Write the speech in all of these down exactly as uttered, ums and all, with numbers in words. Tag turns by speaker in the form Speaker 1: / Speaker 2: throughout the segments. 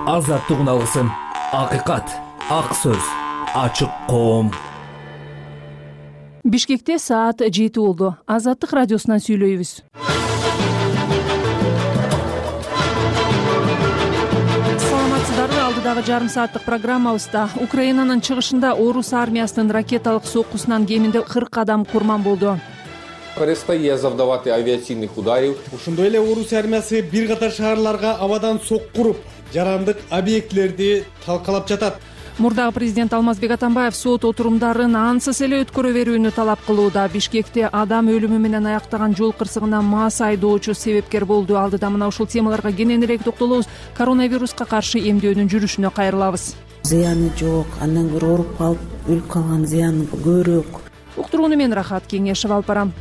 Speaker 1: Азаттык алгысым, акыйкат, ак сөз, ачык коом.
Speaker 2: Бишкекте саат жети болду. Азаттык радиосунан сүйлөйбүз. Саламатсыздарбы? Алдыдагы жарым сааттык программабызда Украинанын чыгышында Орус армиясынын ракеталык соккусунан кеминде кырк адам курман болду.
Speaker 3: Перестає завдавати авіаційних ударів.
Speaker 4: Ошондой эле Орус армиясы бир катар шаарларга абадан соккуруп, жарандык объектилерди талкалап жатат.
Speaker 2: Мурдагы президент Алмазбек Атамбаев сот отурумдарын ансыз эле өткөрө берүүнү талап кылууда. Бишкекте адам өлүмү менен аяктаган жол кырсыгына мас айдоочу себепкер болду. Алдыда мына ушул темаларга кененирээк токтолобуз. Коронавируска каршы эмдөөдүн жүрүшүнө кайрылабыз.
Speaker 5: Зыяны жок, андан көрө ооруп калып өлүп калган зыяны көбүрөөк.
Speaker 2: Уктурууну мен Рахат Кеңешев алып барам.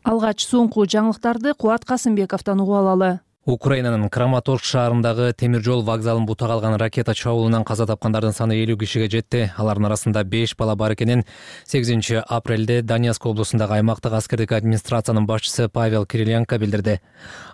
Speaker 2: Алгач соңку жаңылыктарды Кубат Касымбековдон угуп алалы.
Speaker 6: Украинанын Краматорск шаарындагы темир жол вокзалын бута калган ракета чабуулунан каза тапкандардын саны элүү кишиге жетти. Алардын арасында беш бала бар экенин сегизинчи апрелде Донецк облусундагы аймактык аскердик администрациянын башчысы Павел Кириленко билдирди.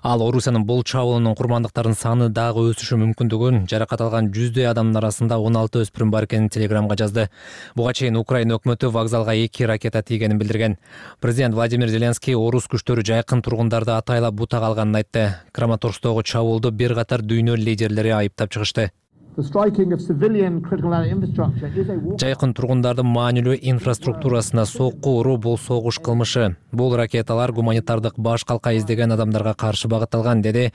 Speaker 6: Ал Орусиянын бул чабуулунун курмандыктарынын саны дагы өсүшү мүмкүндүгүн, жаракат алган жүздөй адамдын арасында он алты өспүрүм бар экенин телеграмга жазды. Буга чейин Украина өкмөтү вокзалга эки ракета тийгенин билдирген. Президент Владимир Зеленский орус күчтөрү жайкын тургундарды атайлап бута калганын айтты. Краматорскдогу чабуулду бир катар дүйнө лидерлери айыптап чыгышты. Жайкын тургундардын маанилүү инфраструктурасына сокку уруу бул согуш кылмышы. Бул ракеталар гуманитардык баш калка издеген адамдарга каршы багытталган, деди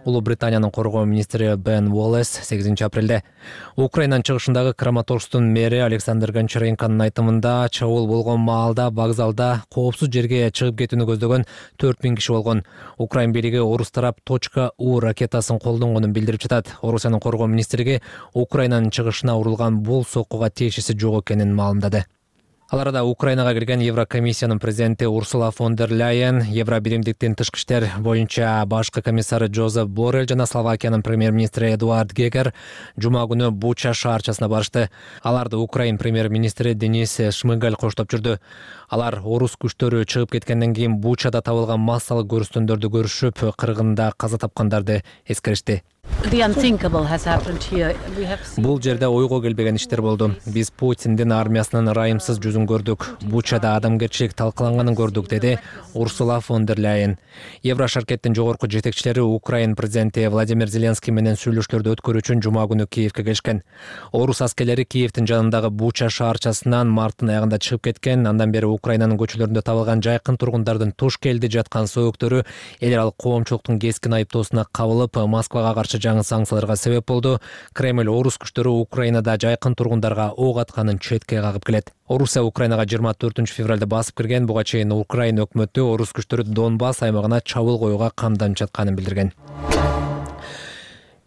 Speaker 6: Улуу Британиянын коргоо министри Бен Уоллес сегизинчи апрелде. Украинанын чыгышындагы Краматорскдун мэри Александр Гончаренконун айтымында чабуул болгон маалда вокзалда коопсуз жерге чыгып кетүүнү көздөгөн төрт миң киши болгон. Украин бийлиги орус тарап точка У ракетасын колдонгонун билдирип жатат. Орусиянын коргоо министрлиги Украинанын чыгышына урулган бул соккуга тиешеси жок экенин маалымдады. Ал арада Украинага кирген Еврокомиссиянын президенти Урсула фон дер Ляйен, Евробиримдиктин тышкы иштер боюнча башкы комиссары Жозеф Боррелл жана Словакиянын премьер-министри Эдуард Гегер жума күнү Буча шаарчасына барышты. Аларды Украин премьер-министри Денис Шмыгаль коштоп жүрдү. Алар орус күчтөрү чыгып кеткенден кийин Бучада табылган массалык көрүстөндөрдү көрүшүп, кыргында каза тапкандарды эскеришти. Бул жерде ойго келбеген иштер болду. Биз Путиндин армиясынын ырайымсыз жүзүн көрдүк. Бучада адамгерчилик талкаланганын көрдүк, деди Урсула фон дер Ляйен. Еврошаркеттин жогорку жетекчилери Украин президенти Владимир Зеленский менен сүйлөшүүлөрдү өткөрүү үчүн жума күнү Киевке келишкен. Орус аскерлери Киевдин жанындагы Буча шаарчасынан марттын аягында чыгып кеткен. Андан бери Украинанын көчөлөрүндө табылган жайкын тургундардын туш келди жаткан сөөгүктөрү эл аралык коомчулуктун кескин айыптоосуна кабылып, Москвага каршы жаңы санкцияларга себеп болду. Кремль орус күчтөрү Украинада жайкын тургундарга ок атканын четке кагып келет. Орусия Украинага жыйырма төртүнчү февралда басып кирген. Буга чейин Украина өкмөтү орус күчтөрү Донбасс аймагына чабуул коюуга камданып жатканын билдирген.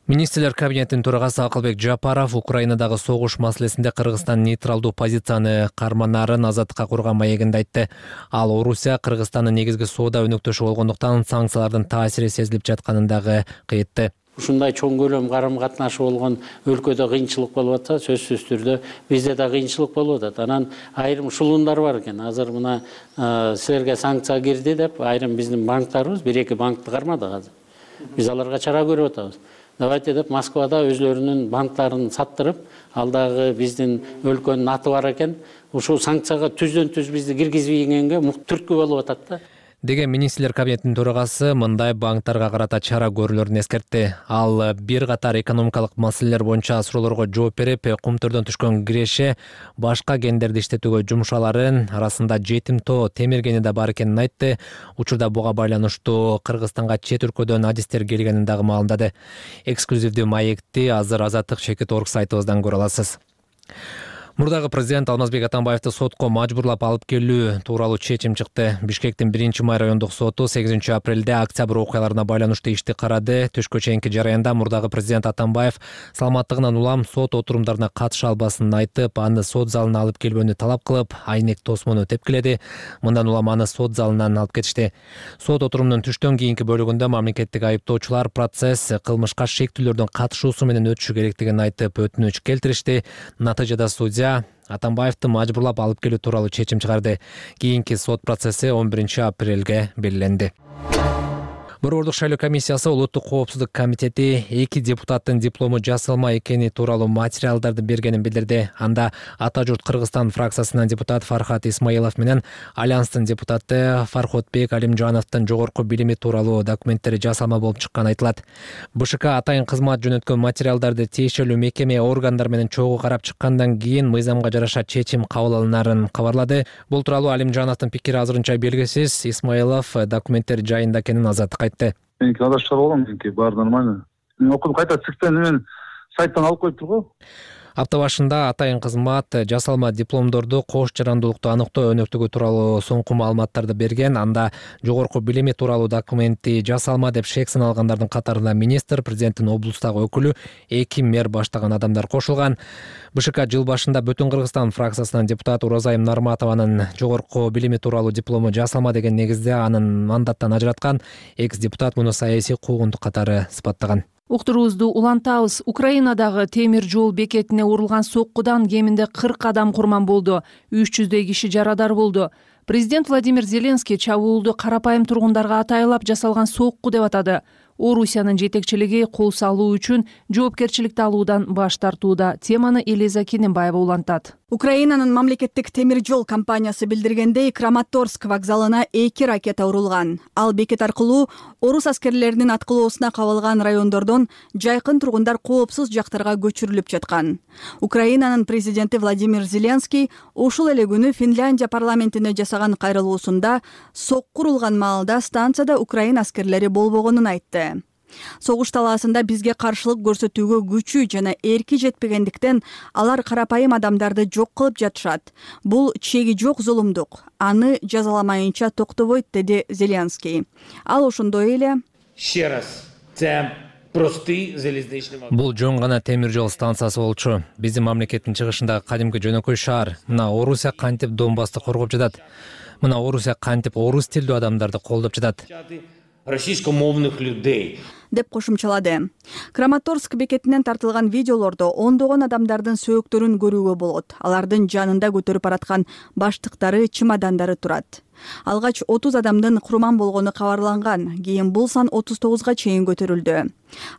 Speaker 6: Министрлер кабинетинин төрагасы Акылбек Жапаров Украинадагы согуш маселесинде Кыргызстан нейтралдуу позицияны карманарын азаттыкка курган маегинде айтты. Ал Орусия Кыргызстандын негизги соода өнөктөшү болгондуктан санкциялардын таасири сезилип жатканын дагы кыйтты.
Speaker 7: Ушундай чоң көлөм карым катнашы болгон өлкөдө кыйынчылык болуп атса, сөзсүз түрдө бизде да кыйынчылык болуп атат. Анан айрым шулундар бар экен. Азыр мына силерге санкция кирди деп, айрым биздин банктарыбыз бир эки банкты кармады азыр. Биз аларга чара көрүп атабыз. Давайте деп Москвада өзлөрүнүн банктарын саттырып, алдагы биздин өлкөнүн аты бар экен. Ушул санкцияга түздөн түз бизди киргизбегенге түрткү болуп атат да.
Speaker 6: Деген министрлер кабинетинин төрагасы мындай банктарга карата чара көрүлөрүн эскертти. Ал бир катар экономикалык маселелер боюнча суроолорго жооп берип, кумтөрдөн түшкөн киреше башка гендерди иштетүүгө жумшаларын, арасында жетим тоо темир кени да бар экенин айтты. Учурда буга байланыштуу Кыргызстанга чет өлкөдөн адистер келгенин дагы маалымдады. Эксклюзивдүү маекти азыр Азаттык чекит орг сайтыбыздан көрө аласыз. Мурдагы президент Алмазбек Атамбаевди сотко мажбурлап алып келүү тууралуу чечим чыкты. Бишкектин биринчи май райондук соту сегизинчи апрелде октябрь окуяларына байланыштуу ишти карады. Түшкө чейинки жараянда мурдагы президент Атамбаев саламаттыгынан улам сот отурумдарына катыша албасын айтып, аны сот залына алып келбөөнү талап кылып, айнек тосмону тепкиледи. Мындан улам аны сот залынан алып кетишти. Сот отурумунун түштөн кийинки бөлүгүндө мамлекеттик айыптоочулар процесс кылмышка шектүүлөрдүн катышуусу менен өтүшү керектигин айтып өтүнүч келтиришти. Натыйжада судья Атамбаевди мажбурлап алып келүү тууралуу чечим чыгарды. Кийинки сот процесси он биринчи апрелге белгиленди. Борбордук шайлоо комиссиясы улуттук коопсуздук комитети эки депутаттын диплому жасалма экени тууралуу материалдарды бергенин билдирди. Анда Ата журт Кыргызстан фракциясынан депутат Фархат Исмаилов менен Альянстын депутаты Фархотбек Алимжановдун жогорку билими тууралуу документтери жасалма болуп чыкканы айтылат. БШК атайын кызмат жөнөткөн материалдарды тиешелүү мекеме органдар менен чогуу карап чыккандан кийин мыйзамга жараша чечим кабыл алынарын кабарлады. Бул тууралуу Алимжановдун пикири азырынча белгисиз. Исмаилов документтер жайында экенин азаттык айтты.
Speaker 8: Меники адашып болгон, меники баары нормально. Мен окудум, кайта цифрдан мен сайттан алып коюптур го.
Speaker 6: Апта башында атайын кызмат жасалма дипломдорду кош жарандуулукту аныктоо өнөктүгү тууралуу соңку маалыматтарды берген. Анда жогорку билими тууралуу документи жасалма деп шек саналгандардын катарына министр, президенттин облустагы өкүлү, эки мэр баштаган адамдар кошулган. БШК жыл башында Бүтүн Кыргызстан фракциясынан депутат Уразайым Нарматованын жогорку билими тууралуу диплому жасалма деген негизде анын мандаттан ажыраткан. Экс депутат муну саясий куугунтук катары сыпаттаган.
Speaker 2: Уктуруубузду улантабыз. Украинадагы темир жол бекетине урулган соккудан кеминде кырк адам курман болду. үч жүздөй киши жарадар болду. Президент Владимир Зеленский чабуулду карапайым тургундарга атайлап жасалган сокку деп атады. Орусиянын жетекчилиги кол салуу үчүн жоопкерчиликти алуудан баш тартууда. Теманы Элиза Кененбаева улантат.
Speaker 9: Украинанын мамлекеттик темир жол компаниясы билдиргендей, Краматорск вокзалына эки ракета урулган. Ал бекет аркылуу орус аскерлеринин аткылоосуна кабылган райондордон жайкын тургундар коопсуз жактарга көчүрүлүп жаткан. Украинанын президенти Владимир Зеленский ушул эле күнү Финляндия парламентине жасаган кайрылуусунда сокку урулган маалда станцияда Украин аскерлери болбогонун айтты. Согуш талаасында бизге каршылык көрсөтүүгө күчү жана эрки жетпегендиктен алар карапайым адамдарды жок кылып жатышат. Бул чеги жок зулумдук. Аны жазаламайынча токтобойт, деди Зеленский. Ал ошондой эле
Speaker 6: Бул жөн гана темир жол станциясы болчу. Биздин мамлекеттин чыгышындагы кадимки жөнөкөй шаар. Мына Орусия кантип Донбассты коргоп жатат. Мына Орусия кантип орус тилдүү адамдарды колдоп жатат.
Speaker 9: Российскомовных людей деп кошумчалады. Краматорск бекетинен тартылган видеолордо ондогон адамдардын сөөктөрүн көрүүгө болот. Алардын жанында көтөрүп бараткан баштыктары, чемодандары турат. Алгач отуз адамдын курман болгону кабарланган. Кийин бул сан отуз тогузга чейин көтөрүлдү.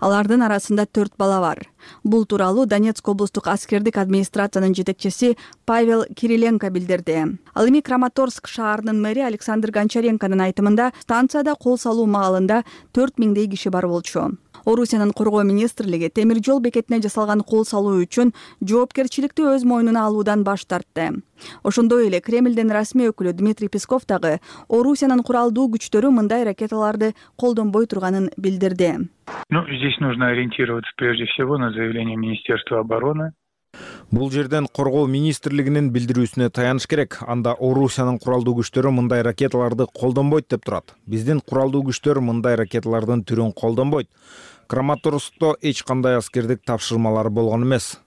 Speaker 9: Алардын арасында төрт бала бар. Бул тууралуу Донецк облустук аскердик администрациянын жетекчиси Павел Кириленко билдирди. Ал эми Краматорск шаарынын мэри Александр Гончаренконун айтымында станцияда кол салуу маалында төрт миңдей киши бар болчу. Орусиянын коргоо министрлиги темир жол бекетине жасалган кол салуу үчүн жоопкерчиликти өз мойнуна алуудан баш тартты. Ошондой эле Кремлдин расмий өкүлү Дмитрий Песков дагы Орусиянын куралдуу күчтөрү мындай ракеталарды колдонбой турганын билдирди.
Speaker 10: Ну, здесь нужно ориентироваться прежде всего на заявление Министерства обороны.
Speaker 11: Бул жерден коргоо министрлигинин билдирүүсүнө таяныш керек. Анда Орусиянын куралдуу күчтөрү мындай ракеталарды колдонбойт деп турат. Биздин куралдуу күчтөр мындай ракеталардын түрүн колдонбойт. Краматорскто эч кандай аскердик тапшырмалар болгон эмес.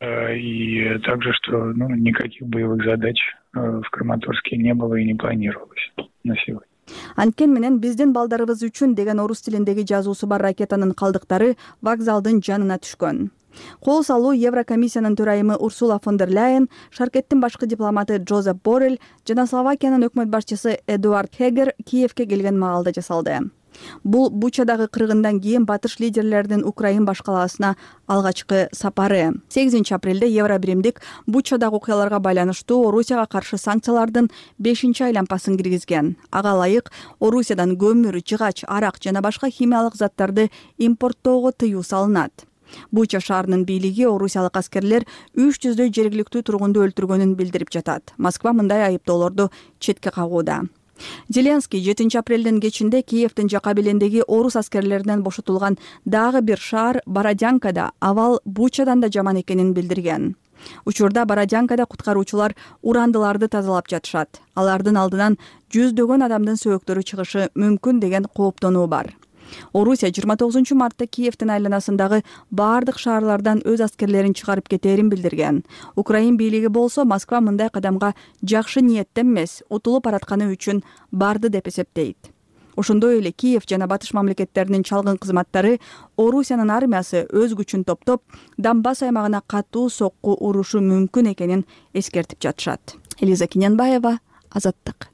Speaker 10: И также, что ну, никаких боевых задач в Краматорске не было и не планировалось на сегодня.
Speaker 9: Анткени менен биздин балдарыбыз үчүн деген орус тилиндеги жазуусу бар ракетанын калдыктары вокзалдын жанына түшкөн. Кол салуу Еврокомиссиянын төрайымы Урсула фон дер Ляйен, Шаркеттин башкы дипломаты Джозеп Боррель жана Словакиянын өкмөт башчысы Эдуард Хегер Киевке келген маалда жасалды. Бул Бучадагы кыргындан кийин батыш лидерлеринин Украин башкаласына алгачкы сапары. сегизинчи апрелде Евробиримдик Бучадагы окуяларга байланыштуу Орусияга каршы санкциялардын бешинчи айлампасын киргизген. Ага ылайык Орусиядан көмүр, жыгач, арак жана башка химиялык заттарды импорттоого тыюу салынат. Буча шаарынын бийлиги орусиялык аскерлер үч жүздөй жергиликтүү тургунду өлтүргөнүн билдирип жатат. Москва мындай айыптоолорду четке кагууда. Зеленский жетинчи апрелдин кечинде Киевдин жака белендеги орус аскерлеринен бошотулган дагы бир шаар Бородянкада абал Бучадан да жаман экенин билдирген. Учурда Бородянкада куткаруучулар урандыларды тазалап жатышат. Алардын алдынан жүздөгөн адамдын сөөктөрү чыгышы мүмкүн деген кооптонуу бар. Орусия жыйырма тогузунчу мартта Киевдин айланасындагы бардык шаарлардан өз аскерлерин чыгарып кетээрин билдирген. Украин бийлиги болсо Москва мындай кадамга жакшы ниеттен эмес, утулуп баратканы үчүн барды деп эсептейт. Ошондой эле Киев жана батыш мамлекеттеринин чалгын кызматтары Орусиянын армиясы өз күчүн топтоп Донбасс аймагына катуу сокку урушу мүмкүн экенин эскертип жатышат. Элиза Кененбаева, Азаттык.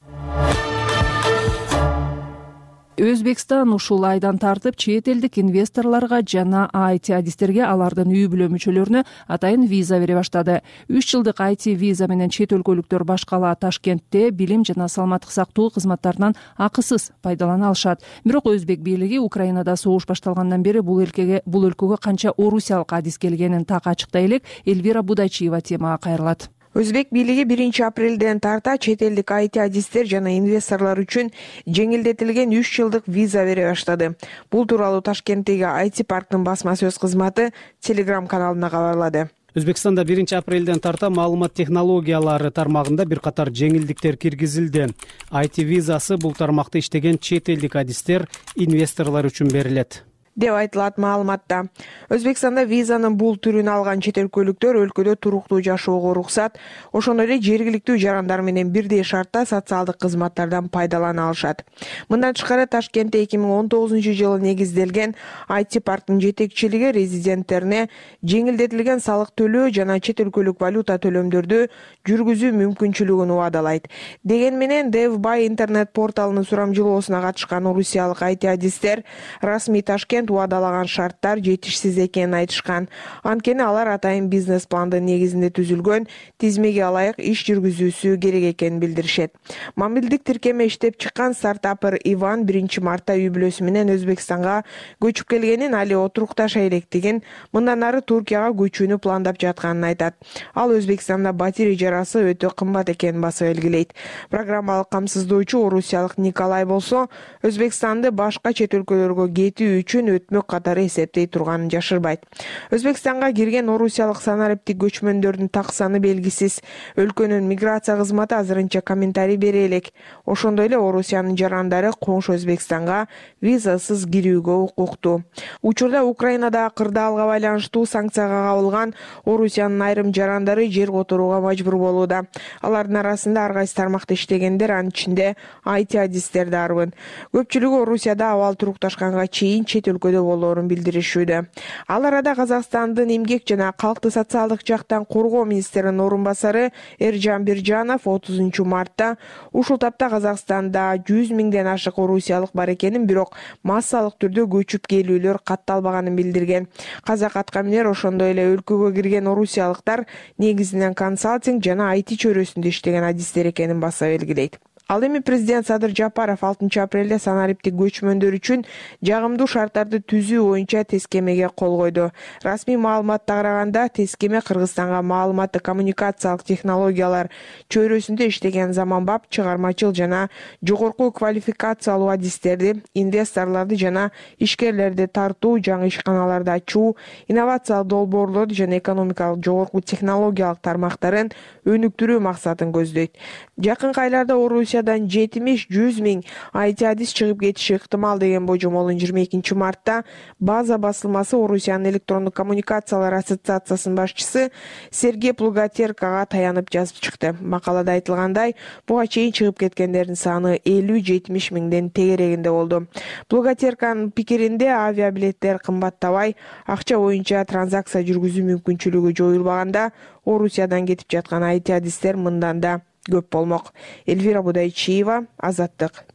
Speaker 2: Өзбекстан ушул айдан тартып чет элдик инвесторлорго жана ай ти адистерге алардын үй бүлө мүчөлөрүнө атайын виза бере баштады. үч жылдык ай ти виза менен чет өлкөлүктөр баш кала Ташкентте билим жана саламаттык сактоо кызматтарынан акысыз пайдалана алышат. Бирок Өзбек бийлиги Украинада согуш башталгандан бери бул өлкөгө бул өлкөгө канча орусиялык адис келгенин так ачыктай элек. Эльвира Будайчиева темага кайрылат.
Speaker 12: Өзбек бийлиги биринчи апрелден тарта чет элдик ай ти адистер жана инвесторлор үчүн жеңилдетилген үч жылдык виза бере баштады. Бул тууралуу Ташкенттеги ай ти парктын басма сөз кызматы Telegram каналында кабарлады.
Speaker 4: Өзбекстанда биринчи апрелден тарта маалымат технологиялары тармагында бир катар жеңилдиктер киргизилди. ай ти визасы бул тармакта иштеген чет элдик адистер, инвесторлор үчүн берилет
Speaker 12: деп айтылат маалыматта. Өзбекстанда визанын бул түрүн алган чет өлкөлүктөр өлкөдө туруктуу жашоого уруксат, ошондой эле жергиликтүү жарандар менен бирдей шартта социалдык кызматтардан пайдалана алышат. Мындан тышкары Ташкентте эки миң он тогузунчу жылы негизделген ай ти парктын жетекчилиги резиденттерине жеңилдетилген салык төлөө жана чет өлкөлүк валюта төлөмдөрдү жүргүзүү мүмкүнчүлүгүн убадалайт. Деген менен DevBuy интернет порталынын сурамжылоосуна катышкан орусиялык ай ти адистер расмий Ташкент убадалаган шарттар жетишсиз экенин айтышкан. Анткени алар атайын бизнес пландын негизинде түзүлгөн тизмеге ылайык иш жүргүзүүсү керек экенин билдиришет. Мобилдик тиркеме иштеп чыккан стартапер Иван биринчи мартта үй бүлөсү менен Өзбекстанга көчүп келгенин, али отурукташа электигин, мындан ары Туркияга көчүүнү пландап жатканын айтат. Ал Өзбекстанда батирей жарасы өтө кымбат экенин басып белгилейт. Программалык камсыздоочу орусиялык Николай болсо, Өзбекстанды башка чет өлкөлөргө кетүү үчүн өтмөк катары эсептей турганын жашырбайт. Өзбекстанга кирген орусиялык санариптик көчмөндөрдүн так саны белгисиз. Өлкөнүн миграция кызматы азырынча комментарий бере элек. Ошондой эле Орусиянын жарандары коңшу Өзбекстанга визасыз кирүүгө укуктуу. Учурда Украинадагы кырдаалга байланыштуу санкцияга кабылган Орусиянын айрым жарандары жер которууга мажбур болууда. Алардын арасында ар кайсы тармакта иштегендер, анын ичинде ай ти адистер дарбын. Көпчүлүгү Орусияда абал турукташканга чейин чет өлкөдө болоорун билдиришүүдө. Ал арада Казакстандын эмгек жана калкты социалдык жактан коргоо министринин орун басары Эржан Биржанов отузунчу мартта ушул тапта Казакстанда жүз миңден ашык орусиялык бар экенин, бирок массалык түрдө көчүп келүүлөр катталбаганын билдирген. Казак аткаминер ошондой эле өлкөгө кирген орусиялыктар негизинен консалтинг жана ай ти чөйрөсүндө иштеген адистер экенин баса белгилейт. Ал эми президент Садыр Жапаров алтынчы апрелде санариптик көчмөндөр үчүн жагымдуу шарттарды түзүү боюнча тескемеге кол койду. Расмий маалыматта караганда, тескеме Кыргызстанга маалыматтык коммуникациялык технологиялар чөйрөсүндө иштеген заманбап, чыгармачыл жана жогорку квалификациялуу адистерди, инвесторлорду жана ишкерлерди тартуу, жаңы ишканаларды ачуу, инновациялык долбоорлорду жана экономикалык жогорку технологиялык тармактарын өнүктүрүү максатын көздөйт. Жакынкы айларда Орусия жетимиш жүз миң ай ти адис чыгып кетиши ыктымал деген божомолун жыйырма экинчи мартта База басылмасы Орусиянын электрондук коммуникациялар ассоциациясынын башчысы Сергей Плугатеркага таянып жазып чыкты. Макалада айтылгандай, буга чейин чыгып кеткендердин саны элүү жетимиш миңден тегерегинде болду. Плугатерканын пикиринде авиабилеттер кымбаттабай, акча боюнча транзакция жүргүзүү мүмкүнчүлүгү жоюлбаганда, Орусиядан кетип жаткан ай ти адистер мындан да көп болмок. Эльвира Будайчиева, Азаттык.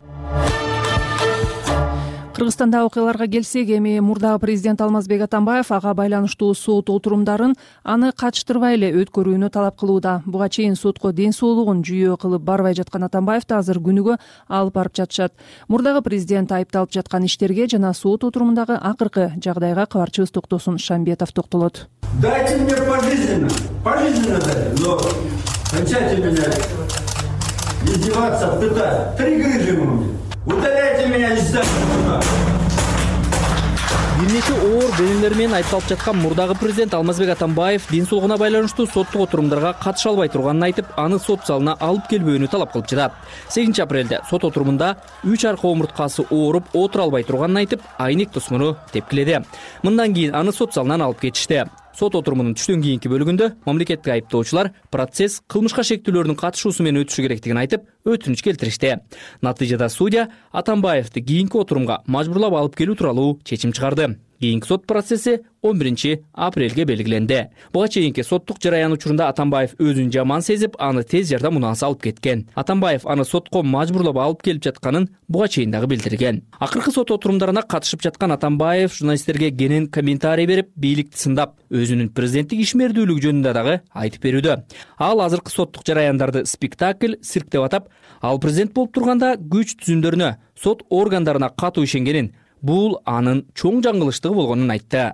Speaker 2: Кыргызстанда окуяларга келсек, эми мурдагы президент Алмазбек Атамбаев ага байланыштуу сот отурумдарын аны катыштырбай эле өткөрүүнү талап кылууда. Буга чейин сотко ден соолугун жүйө кылып барбай жаткан Атамбаевди азыр күнүгө алып барып жатышат. Мурдагы президент айыпталып жаткан иштерге жана сот отурумундагы акыркы жагдайга кабарчыбыз Токтосун Шамбетов токтолот.
Speaker 13: Дайте мне пожизненно, пожизненно дайте, но кончайте меня издеваться, пытать. Три грыжи мне. Удаляйте меня из здания.
Speaker 1: Бир нече оор бөлүмдөр менен айыпталып жаткан мурдагы президент Алмазбек Атамбаев ден соолугуна байланыштуу соттук отурумдарга катыша албай турганын айтып, аны сот залына алып келбөөнү талап кылып жатат. сегизинчи апрелде сот отурумунда үч арка омурткасы ооруп отура албай турганын айтып, айнек тосмуну тепкиледи. Мындан кийин аны сот залынан алып кетишти. Сот отурумунун түштөн кийинки бөлүгүндө мамлекеттик айыптоочулар процесс кылмышка шектүүлөрдүн катышуусу менен өтүшү керектигин айтып, өтүнүч келтиришти. Натыйжада судья Атамбаевди кийинки отурумга мажбурлап алып келүү тууралуу чечим чыгарды. Кийинки сот процесси он биринчи апрелге белгиленди. Буга чейинки соттук жараян учурунда Атамбаев өзүн жаман сезип, аны тез жардам унаасы алып кеткен. Атамбаев аны сотко мажбурлап алып келип жатканын буга чейин дагы билдирген. Акыркы сот отурумдарына катышып жаткан Атамбаев журналисттерге кенен комментарий берип, бийликти сындап, өзүнүн президенттик ишмердүүлүгү жөнүндө дагы айтып берүүдө. Ал азыркы соттук жараяндарды спектакль, цирк деп атап, ал президент болуп турганда күч түзүмдөрүнө, сот органдарына катуу ишенгенин, бул анын чоң жаңылыштыгы болгонун айтты.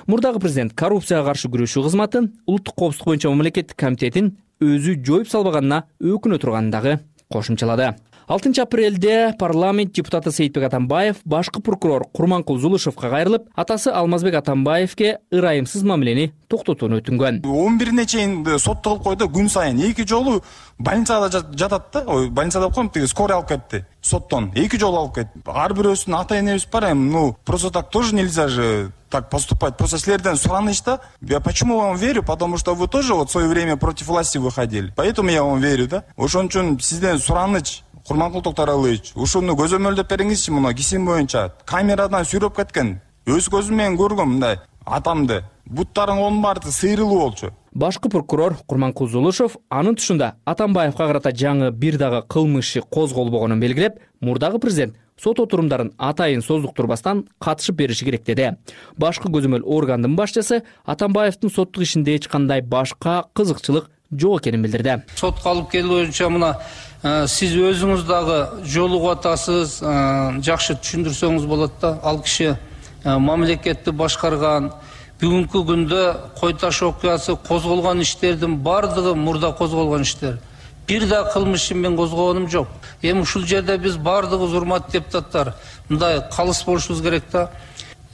Speaker 1: Мурдагы президент коррупцияга каршы күрөшүү кызматын, улуттук коопсуздук боюнча мамлекеттик комитетин өзү жоюп салбаганына өкүнө турганын дагы кошумчалады. алтынчы апрелде парламент депутаты Сейитбек Атамбаев башкы прокурор Курманкул Зулушевго кайрылып, атасы Алмазбек Атамбаевке ырайымсыз мамилени токтотууну өтүнгөн.
Speaker 14: он бирине чейин сотто кылып койду, күн сайын эки жолу больницада жатат да, ой, больницада алып коюп, тиги скорый алып кетти соттон. эки жолу алып кетти. Ар бирөөсүнүн ата энебиз бар, эми, ну, просто так тоже нельзя же так поступать. Просто силерден сураныч да. Я почему вам верю? Потому что вы тоже вот в свое время против власти выходили. Поэтому я вам верю, да. Ошон үчүн сизден сураныч. Курманкул Токтаралыевич, ушуну көзөмөлдөп бериңизчи, муну кесим боюнча. Камерадан сүрөп кеткен. Өз көзүм менен көргөм мындай атамды. Буттарың баары сыйрылуу болчу.
Speaker 1: Башкы прокурор Курманкул Зулушев анын тушунда Атамбаевга карата жаңы бир дагы кылмыш козголбогонун белгилеп, мурдагы президент сот отурумдарын атайын создуктурбастан катышып бериши керек деди. Башкы көзөмөл органдын башчысы Атамбаевдин соттук ишинде эч кандай башка кызыкчылык жок экенин билдирди.
Speaker 15: Сотко алып келүү боюнча мына сиз өзүңүз дагы жолугуп атасыз, жакшы түшүндүрсөңүз болот да. Ал киши мамлекетти башкарган, бүгүнкү күндө Кой таш окуясы козголгон иштердин бардыгы мурда козголгон иштер. Бир да кылмыш мен козгогонум жок. Эми ушул жерде биз бардыгыбыз, урматтуу депутаттар, мындай калыс болушубуз керек да.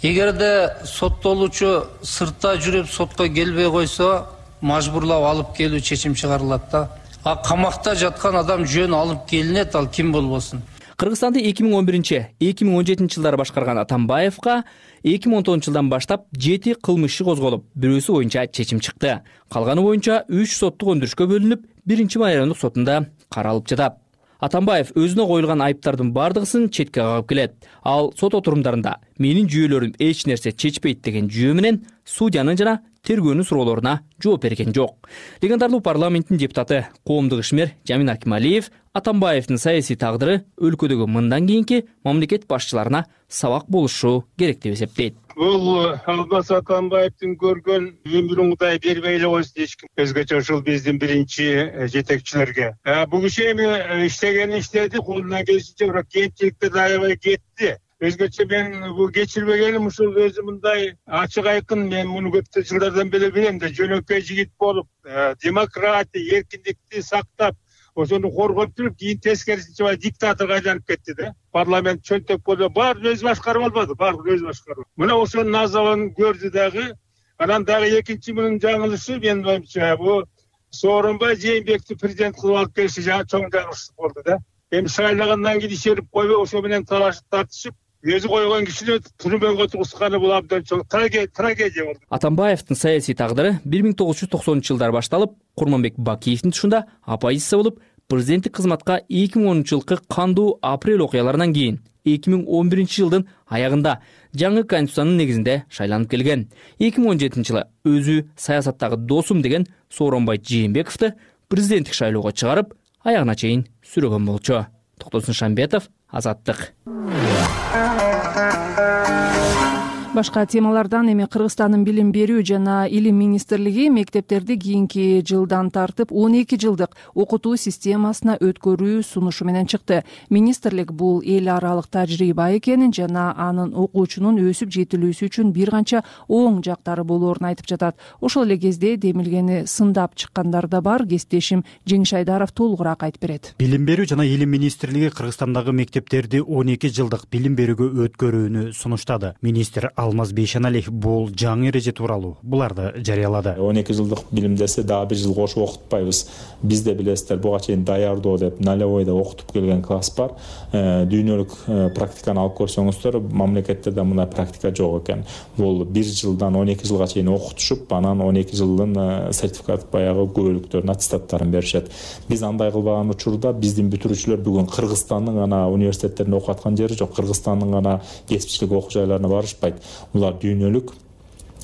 Speaker 15: Эгерде соттолуучу сыртта жүрүп сотко келбей койсо, мажбурлап алып келүү чечим чыгарылат да. А камакта жаткан адам жөн алып келинет, ал ким болбосун.
Speaker 1: Кыргызстанды эки миң он биринчи — эки миң он жетинчи жылдары башкарган Атамбаевга эки миң он тогузунчу жылдан баштап жети кылмыш козголуп, бирөөсү боюнча чечим чыкты. Калганы боюнча үч соттук өндүрүшкө бөлүнүп, биринчи майрамдык сотунда каралып жатат. Атамбаев өзүнө коюлган айыптардын бардыгысын четке кагып келет. Ал сот отурумдарында менин жүйөлөрүм эч нерсе чечпейт деген жүйө менен судьянын жана тергөөнүн суроолоруна жооп берген жок. Легендарлуу парламенттин депутаты, коомдук ишмер Жамин Акималиев Атамбаевдин саясий тагдыры өлкөдөгү мындан кийинки мамлекет башчыларына сабак болушу керек деп эсептейт.
Speaker 16: Бул Алмаз Атамбаевдин көргөн өмүрүн Кудай бербей эле койсун эч ким. Өзгөчө ушул биздин биринчи жетекчилерге. Бул киши эми иштеген иштерди колунан келишинче бирок кемчиликтерди аябай кетти. Өзгөчө мен бул кечирбегеним ушул өзү мындай ачык айкын, мен муну көп жылдардан бери билем да, жөнөкөй жигит болуп, демократия, эркиндикти сактап, ошону коргоп туруп, кийин тескерисинче диктаторго айланып кетти да. Парламент чөнтөк болду, баары өзү башкарып албады, баары өзү башкарып. Мына ошонун азабын көрдү дагы. Анан дагы экинчи мунун жаңылышы, мен боюмча, бул Сооронбай Жээнбекти президент кылып алып келиши жаңы чоң жаңылыш болду да. Эми шайлагандан кийин ишерип койбой, ошо менен талашып тартышып, өзү койгон кишини түрмөгө тургузганы бул абдан чоң трагедия болду.
Speaker 1: Атамбаевдин саясий тагдыры бир миң тогуз жүз токсонунчу жылдары башталып, Курманбек Бакиевдин тушунда оппозиция болуп, президенттик кызматка эки миң онунчу жылкы кандуу апрель окуяларынан кийин эки миң он биринчи жылдын аягында жаңы конституциянын негизинде шайланып келген. эки миң он жетинчи жылы өзү саясаттагы досум деген Сооронбай Жээнбековду президенттик шайлоого чыгарып, аягына чейин сүрөгөн болчу. Токтосун Шамбетов, Азаттык.
Speaker 2: Башка темалардан эми Кыргызстандын билим берүү жана илим министрлиги мектептерди кийинки жылдан тартып он эки жылдык окутуу системасына өткөрүү сунушу менен чыкты. Министрлик бул эл аралык тажрыйба экенин жана анын окуучунун өсүп жетилүүсү үчүн бир канча оң жактары болоорун айтып жатат. Ошол эле кезде демилгени сындап чыккандар да бар. Кесиптешим Жеңиш Айдаров толугураак айтып берет.
Speaker 17: Билим берүү жана илим министрлиги Кыргызстандагы мектептерди он эки жылдык билим берүүгө өткөрүүнү сунуштады. Министр Алмаз Бейшеналиев бул жаңы эреже тууралуу буларды жарыялады.
Speaker 18: он эки жылдык билим десе дагы бир жыл кошуп окутпайбыз. Биз де билесиздер, буга чейин даярдоо деп налевойдо окутуп келген класс бар. Дүйнөлүк практиканы алып көрсөңүздөр, мамлекеттерде мындай практика жок экен. Бул бир жылдан он эки жылга чейин окутушуп, анан он эки жылдын сертификат баягы күбөлүктөрүн, аттестаттарын беришет. Биз андай кылбаган учурда биздин бүтүрүүчүлөр бүгүн Кыргызстандын гана университеттеринде окуп аткан жери жок, Кыргызстандын гана кесипчилик окуу жайларына барышпайт. булар дүйнөлүк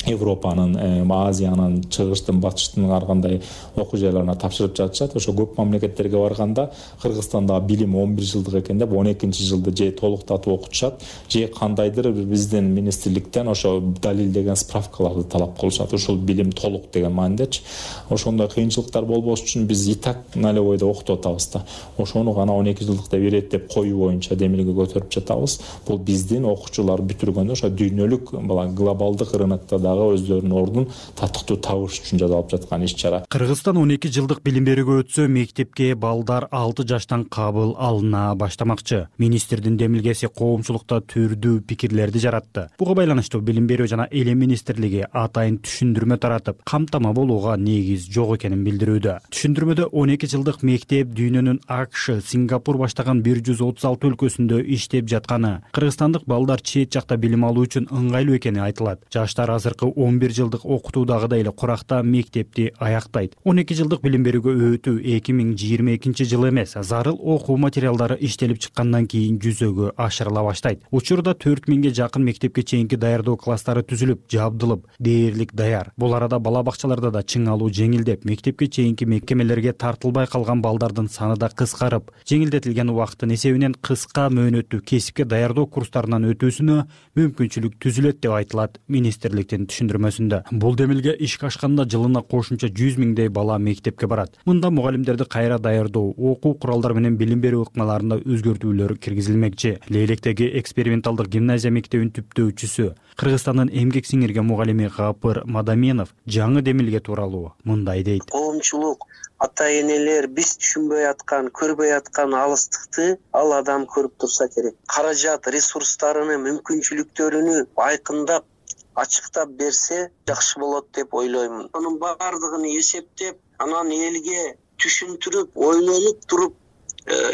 Speaker 18: Европанын, Азиянын, чыгыштын, батыштын ар кандай окуу жайларына тапшырып жатышат. Ошо көп мамлекеттерге барганда Кыргызстанда билим он бир жылдык экен деп он экинчи жылды же толуктатып окутушат, же кандайдыр биздин министрликтен ошо далилдеген справкаларды талап кылышат. Ошол билим толук деген маанидечи. Ошондой кыйынчылыктар болбош үчүн биз и так налевойдо окутуп атабыз да. Ошону гана он эки жылдыкта берет деп коюу боюнча демилге көтөрүп жатабыз. Бул биздин окуучулар бүтүргөндө ошо дүйнөлүк глобалдык рынокто өздөрүнүн ордун татыктуу табыш үчүн жасалып жаткан иш чара.
Speaker 17: Кыргызстан он эки жылдык билим берүүгө өтсө, мектепке балдар алты жаштан кабыл алына баштамакчы. Министрдин демилгеси коомчулукта түрдүү пикирлерди жаратты. Буга байланыштуу билим берүү жана элем министрлиги атайын түшүндүрмө таратып, камтама болууга негиз жок экенин билдирүүдө. Түшүндүрмөдө он эки жылдык мектеп дүйнөнүн АКШ, Сингапур баштаган бир жүз отуз алты өлкөсүндө иштеп жатканы, кыргызстандык балдар чет жакта билим алуу үчүн ыңгайлуу экени айтылат. Жаштар азыр он бир жылдык окутуудагыдай эле куракта мектепти аяктайт. он эки жылдык билим берүүгө өтүү эки миң жыйырма экинчи жыл эмес, зарыл окуу материалдары иштелип чыккандан кийин жүзөгө ашырыла баштайт. Учурда төрт миңге жакын мектепке чейинки даярдоо класстары түзүлүп, жабдылып, дээрлик даяр. Бул арада бала бакчаларда да чың алуу жеңилдеп, мектепке чейинки мекемелерге тартылбай калган балдардын саны да кыскарып, жеңилдетилген убакыттын эсебинен кыска мөөнөттүү кесипке даярдоо курстарынан өтүүсүнө мүмкүнчүлүк түзүлөт деп айтылат министрликтин түшүндүрмөсүндө. Бул демилге ишке ашканда жылына кошумча жүз миңдей бала мектепке барат. Мында мугалимдерди кайра даярдоо, окуу куралдары менен билим берүү ыкмаларында өзгөртүүлөр киргизилмекчи. Лейлектеги эксперименталдык гимназия мектебин түптөөчүсү, Кыргызстандын эмгек сиңирген мугалими Гапыр Мадаминов жаңы демилге тууралуу мындай дейт.
Speaker 19: Коомчулук, ата-энелер биз түшүнбөй аткан, көрбөй аткан алыстыкты ал адам көрүп турса керек. Каражат ресурстарыны, мүмкүнчүлүктөрүнү айкындап ачыктап берсе жакшы болот деп ойлоймун. Анын баардыгын эсептеп, анан элге түшүндүрүп, ойлонуп туруп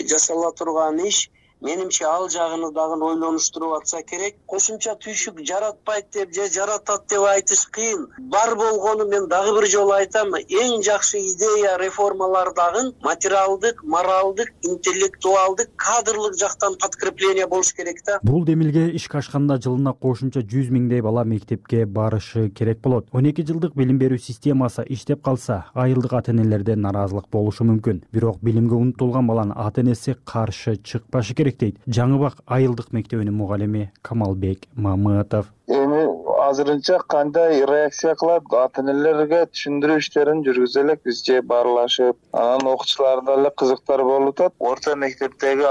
Speaker 19: жасала турган иш менимче ал жагыны дагы ойлонуштуруп атса керек. Кошумча түйшүк жаратпайт деп же жаратат деп айтыш кыйын. Бар болгону мен дагы бир жолу айтам, эң жакшы идея реформалардагы материалдык, моралдык, интеллектуалдык, кадрлык жактан подкрепление болуш керек да.
Speaker 17: Бул демилге ишке ашканда жылына кошумча жүз миңдей бала мектепке барышы керек болот. он эки жылдык билим берүү системасы иштеп калса, айылдык ата-энелерде наразылык болушу мүмкүн. Бирок билимге умтулган баланын ата-энеси каршы чыкпашы керек дейт Жаңыбак айылдык мектебинин мугалими Камалбек Мамытов.
Speaker 20: Эми азырынча кандай реакция кылат, ата-энелерге түшүндүрүү иштерин жүргүзө элек биз же баарлашып, анан окуучуларда эле кызыктар болуп атат. Орто мектептеги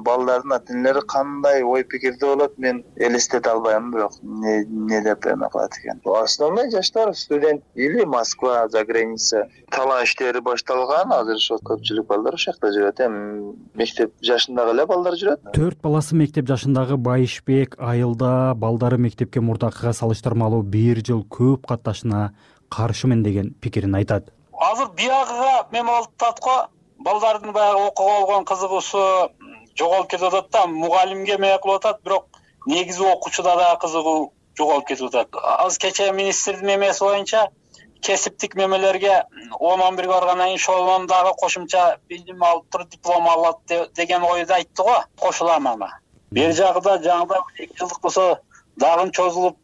Speaker 20: балдардын ата-энелери кандай ой пикирде болот, мен элестете албайм, бирок не, не деп эме кылат экен. Основной жаштар студент или Москва, за граница. Талаа иштери башталган, азыр ошо көпчүлүк балдар ошол жакта жүрөт. Эми мектеп жашындагы эле балдар жүрөт.
Speaker 17: Төрт баласы мектеп жашындагы Байышбек айылда балдары мектепке мурдакыга салыштырмалуу бир жыл көп катташына каршымын деген пикирин айтат.
Speaker 21: Азыр биягыга мен болуп атат го, балдардын баягы окууга болгон кызыгуусу жоголуп кетип атат да, мугалимге эме кылып атат, бирок негизи окуучуда да кызыгуу жоголуп кетип атат. Азыр кечээ министрдин мемеси боюнча кесиптик мемелерге он он бирге баргандан кийин ошолон дагы кошумча билим алып туруп диплом алат деген ойду айтты го. Кошулам ана. Бир жагында жаңыда эки жылдык болсо дагы чозулуп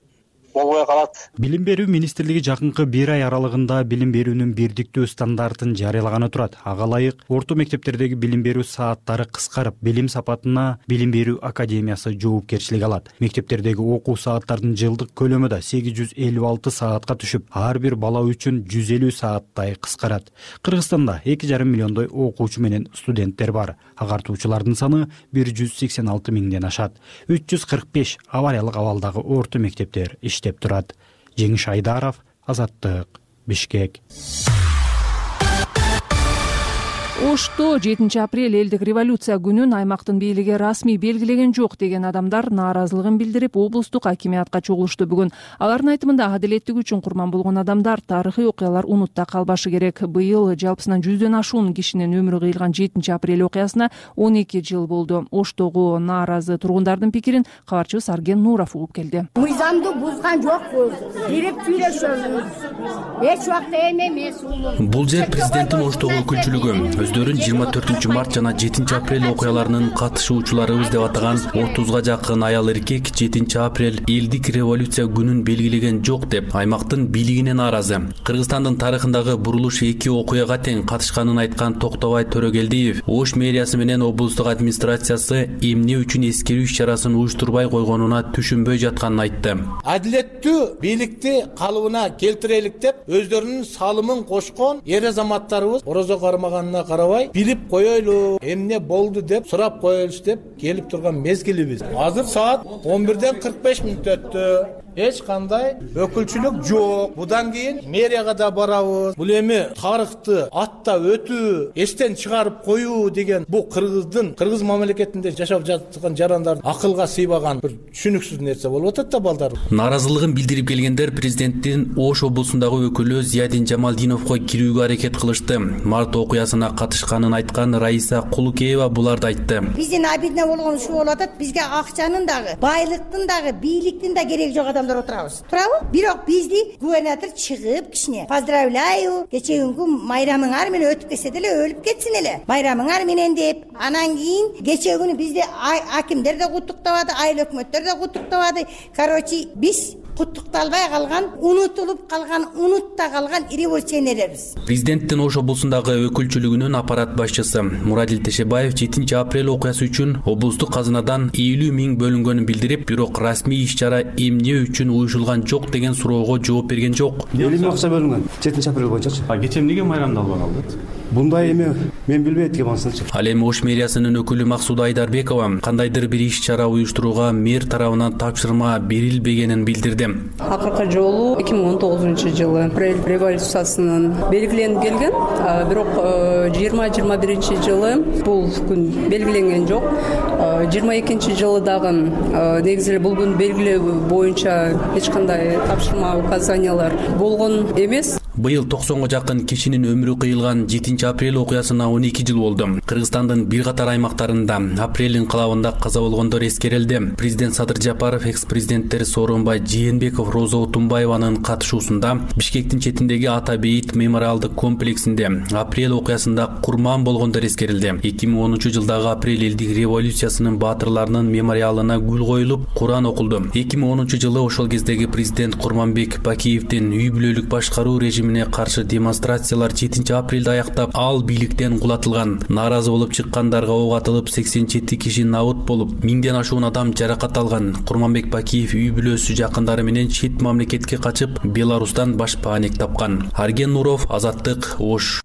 Speaker 21: болбой калат.
Speaker 17: Билим берүү министрлиги жакынкы бир ай аралыгында билим берүүнүн бирдиктүү стандартын жарыялаганы турат. Ага ылайык орто мектептердеги билим берүү сааттары кыскарып, билим сапатына билим берүү академиясы жоопкерчилик алат. Мектептердеги окуу сааттардын жылдык көлөмү да сегиз жүз элүү алты саатка түшүп, ар бир бала үчүн жүз элүү сааттай кыскарат. Кыргызстанда эки жарым миллиондой окуучу менен студенттер бар. Агартуучулардын саны бир жүз сексен алты миңден ашат. үч жүз кырк беш авариялык абалдагы орто мектептер деп турат. Жеңиш Айдаров, Азаттык, Бишкек.
Speaker 2: Ошто жетинчи апрель элдик революция күнүн аймактын бийлиги расмий белгилеген жок деген адамдар нааразылыгын билдирип, облустук акимиатка чогулушту бүгүн. Алардын айтымында адилеттик үчүн курман болгон адамдар тарыхый окуялар унутта калбашы керек. Быйыл жалпысынан жүздөн ашуун кишинин өмүрү кыйылган жетинчи апрель окуясына он эки жыл болду. Оштогу нааразы тургундардын пикирин кабарчыбыз Арген Нуров угуп келди.
Speaker 22: Мыйзамды бузган жокпуз, бирип сүйлөшөбүз.
Speaker 3: эч убакта эме эмес уулум.
Speaker 22: Бул жер президенттин Оштогу өкүлчүлүгү. Өздөрүн жыйырма төртүнчү март жана жетинчи апрель окуяларынын катышуучуларыбыз деп атаган отузга жакын аял эркек жетинчи апрель элдик революция күнүн белгилеген жок деп аймактын бийлигине нааразы. Кыргызстандын тарыхындагы бурулуш эки окуяга тең катышканын айткан Токтобай Төрөгелдиев Ош мэриясы менен облустук администрациясы эмне үчүн эскерүү иш-чарасын уюштурбай койгонуна түшүнбөй жатканын айтты.
Speaker 23: Адилеттүү бийликти калыбына келтирелик деп өздөрүнүн салымын кошкон эр азаматтарыбыз орозо кармаганына карабай билип коелу, эмне болду деп сурап коелуч деп келип турган мезгилибиз. Азыр саат он бирден кырк беш мүнөт өттү. Эч кандай өкүлчүлүк жок. Будан кийин мэрияга да барабыз. Бул эми тарыхты аттап өтүү, эстен чыгарып коюу деген бул кыргыздын, кыргыз мамлекетинде жашап жаткан жарандардын акылга сыйбаган бир түшүнүксүз нерсе болуп атат да балдар.
Speaker 22: Нааразылыгын билдирип келгендер президенттин Ош облусундагы өкүлү Зиядин Жамалдиновго кирүүгө аракет кылышты. Март окуясына катышканын айткан Раиса Кулукеева буларды айтты.
Speaker 3: Биздин обидно болгон ушул болуп атат. Бизге акчанын дагы, байлыктын дагы, бийликтин да кереги жок адамдар отурабыз. Туурабы? Бирок бизди губернатор чыгып кичине поздравляю, кечеүнгү майрамыңар менен өтүп кетсе деле өлүп кетсин эле. Майрамыңар менен деп, анан кийин кечээ күнү бизди акимдер да куттуктабады, айыл өкмөттөр да куттуктабады. Короче, биз куттукталбай калган, унутулуп калган, унутта калган революционерлербиз.
Speaker 22: Президенттин Ош облусундагы өкүлчүлүгүнүн аппарат башчысы Мурадил Тешебаев жетинчи апрель окуясы үчүн облустук казынадан элүү миң бөлүнгөнүн билдирип, бирок расмий иш-чара эмне үчүн уюшулган жок деген суроого жооп берген жок.
Speaker 24: элүү миң акча бөлүнгөн жетинчи апрель боюнчачы. А кечээ эмнеге майрамдалбай калды? Мындай эме мен билбейт экен анысынчы.
Speaker 22: Ал эми Ош мэриясынын өкүлү Максуда Айдарбекова кандайдыр бир иш-чара уюштурууга мэр тарабынан тапшырма берилбегенин билдирди.
Speaker 25: Акыркы жолу эки миң он тогузунчу жылы апрель революциясынын белгиленип келген, бирок жыйырма жыйырма биринчи жылы бул күн белгиленген жок. жыйырма экинчи жылы дагы негизи эле бул күн белгилөө боюнча эч кандай тапшырма указаниялар болгон эмес.
Speaker 22: Быйыл токсонго жакын кишинин өмүрү кыйылган жетинчи апрель окуясына он эки жыл болду. Кыргызстандын бир катар аймактарында апрель инкылабында каза болгондор эскерилди. Президент Садыр Жапаров, экс-президенттер Сооронбай Жээнбеков, Роза Отунбаеванын катышуусунда Бишкектин четиндеги Ата Бейит мемориалдык комплексинде апрель окуясында курман болгондор эскерилди. эки миң онунчу жылдагы апрель элдик революциясынын баатырларынын мемориалына гүл коюлуп, Куран окулду. эки миң онунчу жылы ошол кездеги президент Курманбек Бакиевдин үй бүлөлүк башкаруу режимине каршы демонстрациялар жетинчи апрелде аяктап, ал бийликтен кулатылган. Нааразы болуп чыккандарга ок атылып, сексен жети киши набыт болуп, миңден ашуун адам жаракат алган. Курманбек Бакиев үй бүлөсү жакындары менен чет мамлекетке качып, Беларустан башпаанек тапкан. Арген Нуров, Азаттык, Ош.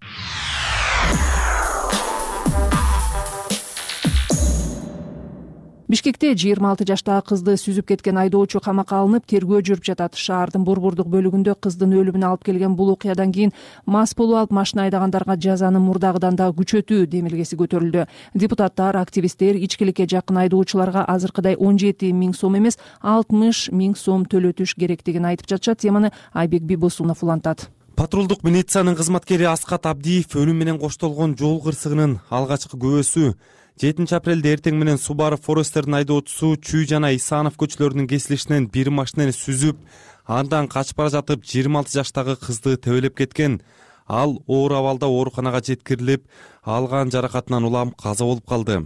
Speaker 2: Бишкекте жыйырма алты жаштагы кызды сүзүп кеткен айдоочу камакка алынып, тергөө жүрүп жатат. Шаардын борбордук бөлүгүндө кыздын өлүмүнө алып келген бул окуядан кийин мас болуп алып машина айдагандарга жазаны мурдагыдан да күчөтүү демилгеси көтөрүлдү. Депутаттар, активисттер ичкиликке жакын айдоочуларга азыркыдай он жети миң сом эмес, алтымыш миң сом төлөтүш керектигин айтып жатышат. Теманы Айбек Бибосунов улантат.
Speaker 26: Патрулдук милициянын кызматкери Аскат Абдиев өлүм менен коштолгон жол кырсыгынын алгачкы күбөсү. жетинчи апрелде эртең менен Subaru Forest'тердин айдоочусу Чүй жана Исанов көчөлөрүнүн кесилишинен бир машинаны сүзүп, андан качып бара жатып жыйырма алты жаштагы кызды тебелеп кеткен. Ал оор абалда ооруканага жеткирилип, алган жаракатынан улам каза болуп калды.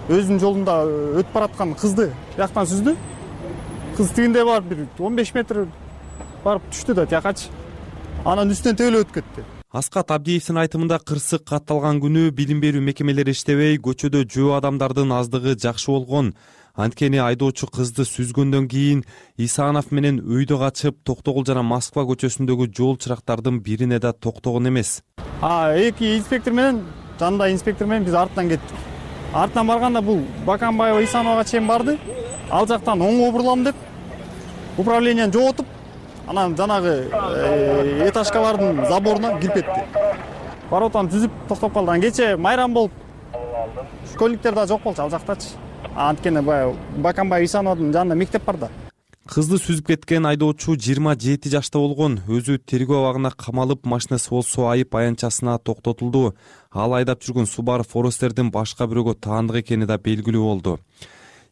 Speaker 27: Өзүнүн жолунда өтүп бараткан кызды жактан сүздү. Кыз тигинде барып бир он беш метр барып түштү да тиякачы. Анан үстүнөн тебелеп өтүп кетти.
Speaker 26: Аскат Абдиевдин айтымында кырсык катталган күнү билим берүү мекемелери иштебей, көчөдө жөө адамдардын аздыгы жакшы болгон. Анткени айдоочу кызды сүзгөндөн кийин Исанов менен өйдө качып, Токтогул жана Москва көчөсүндөгү жол чырактардын бирине да токтогон эмес.
Speaker 27: А эки инспектор менен, жанында инспектор менен биз артынан кеттик. Артынан барганда бул Баканбаева Исановага чейин барды. Ал жактан оңго бурлам деп управленияны жоготуп, анан жанагы этажкалардын заборуна кирип кетти. Барып атам түзүп токтоп калды. Анан кече майрам болуп, школьниктер да жок болчу ал жактачы. Анткени баягы Баканбаева Исановдун жанында мектеп бар да.
Speaker 26: Кызды сүзүп кеткен айдоочу жыйырма жети жашта болгон. Өзү тергөө абагына камалып, машинасы болсо айып аянтчасына токтотулду. Ал айдап жүргөн Subaru Forest'тердин башка бирөөгө таандык экени да белгилүү болду.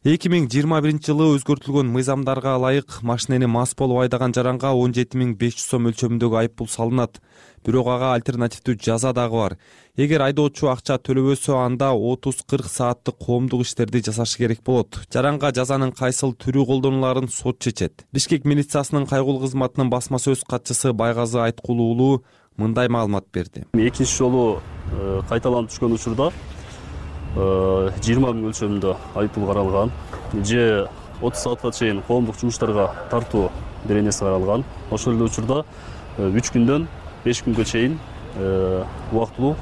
Speaker 26: эки миң жыйырма биринчи жылы өзгөртүлгөн мыйзамдарга ылайык машинени мас болуп айдаган жаранга он жети миң беш жүз сом өлчөмүндөгү айып пул салынат. Бирок ага альтернативдүү жаза дагы бар. Эгер айдоочу акча төлөбөсө, анда отуз кырк сааттык коомдук иштерди жасашы керек болот. Жаранга жазанын кайсыл түрү колдонуларын сот чечет. Бишкек милициясынын кайгылуу кызматынын басма сөз катчысы Байгазы Айткулуу уулу мындай маалымат берди.
Speaker 5: Экинчи жолу кайталанып түшкөн учурда жыйырма миң өлчөмүндө айып пул каралган. Же отуз саатка чейин коомдук жумуштарга тартуу беренеси каралган. Ошол эле учурда үч күндөн беш күнгө чейин убактылуу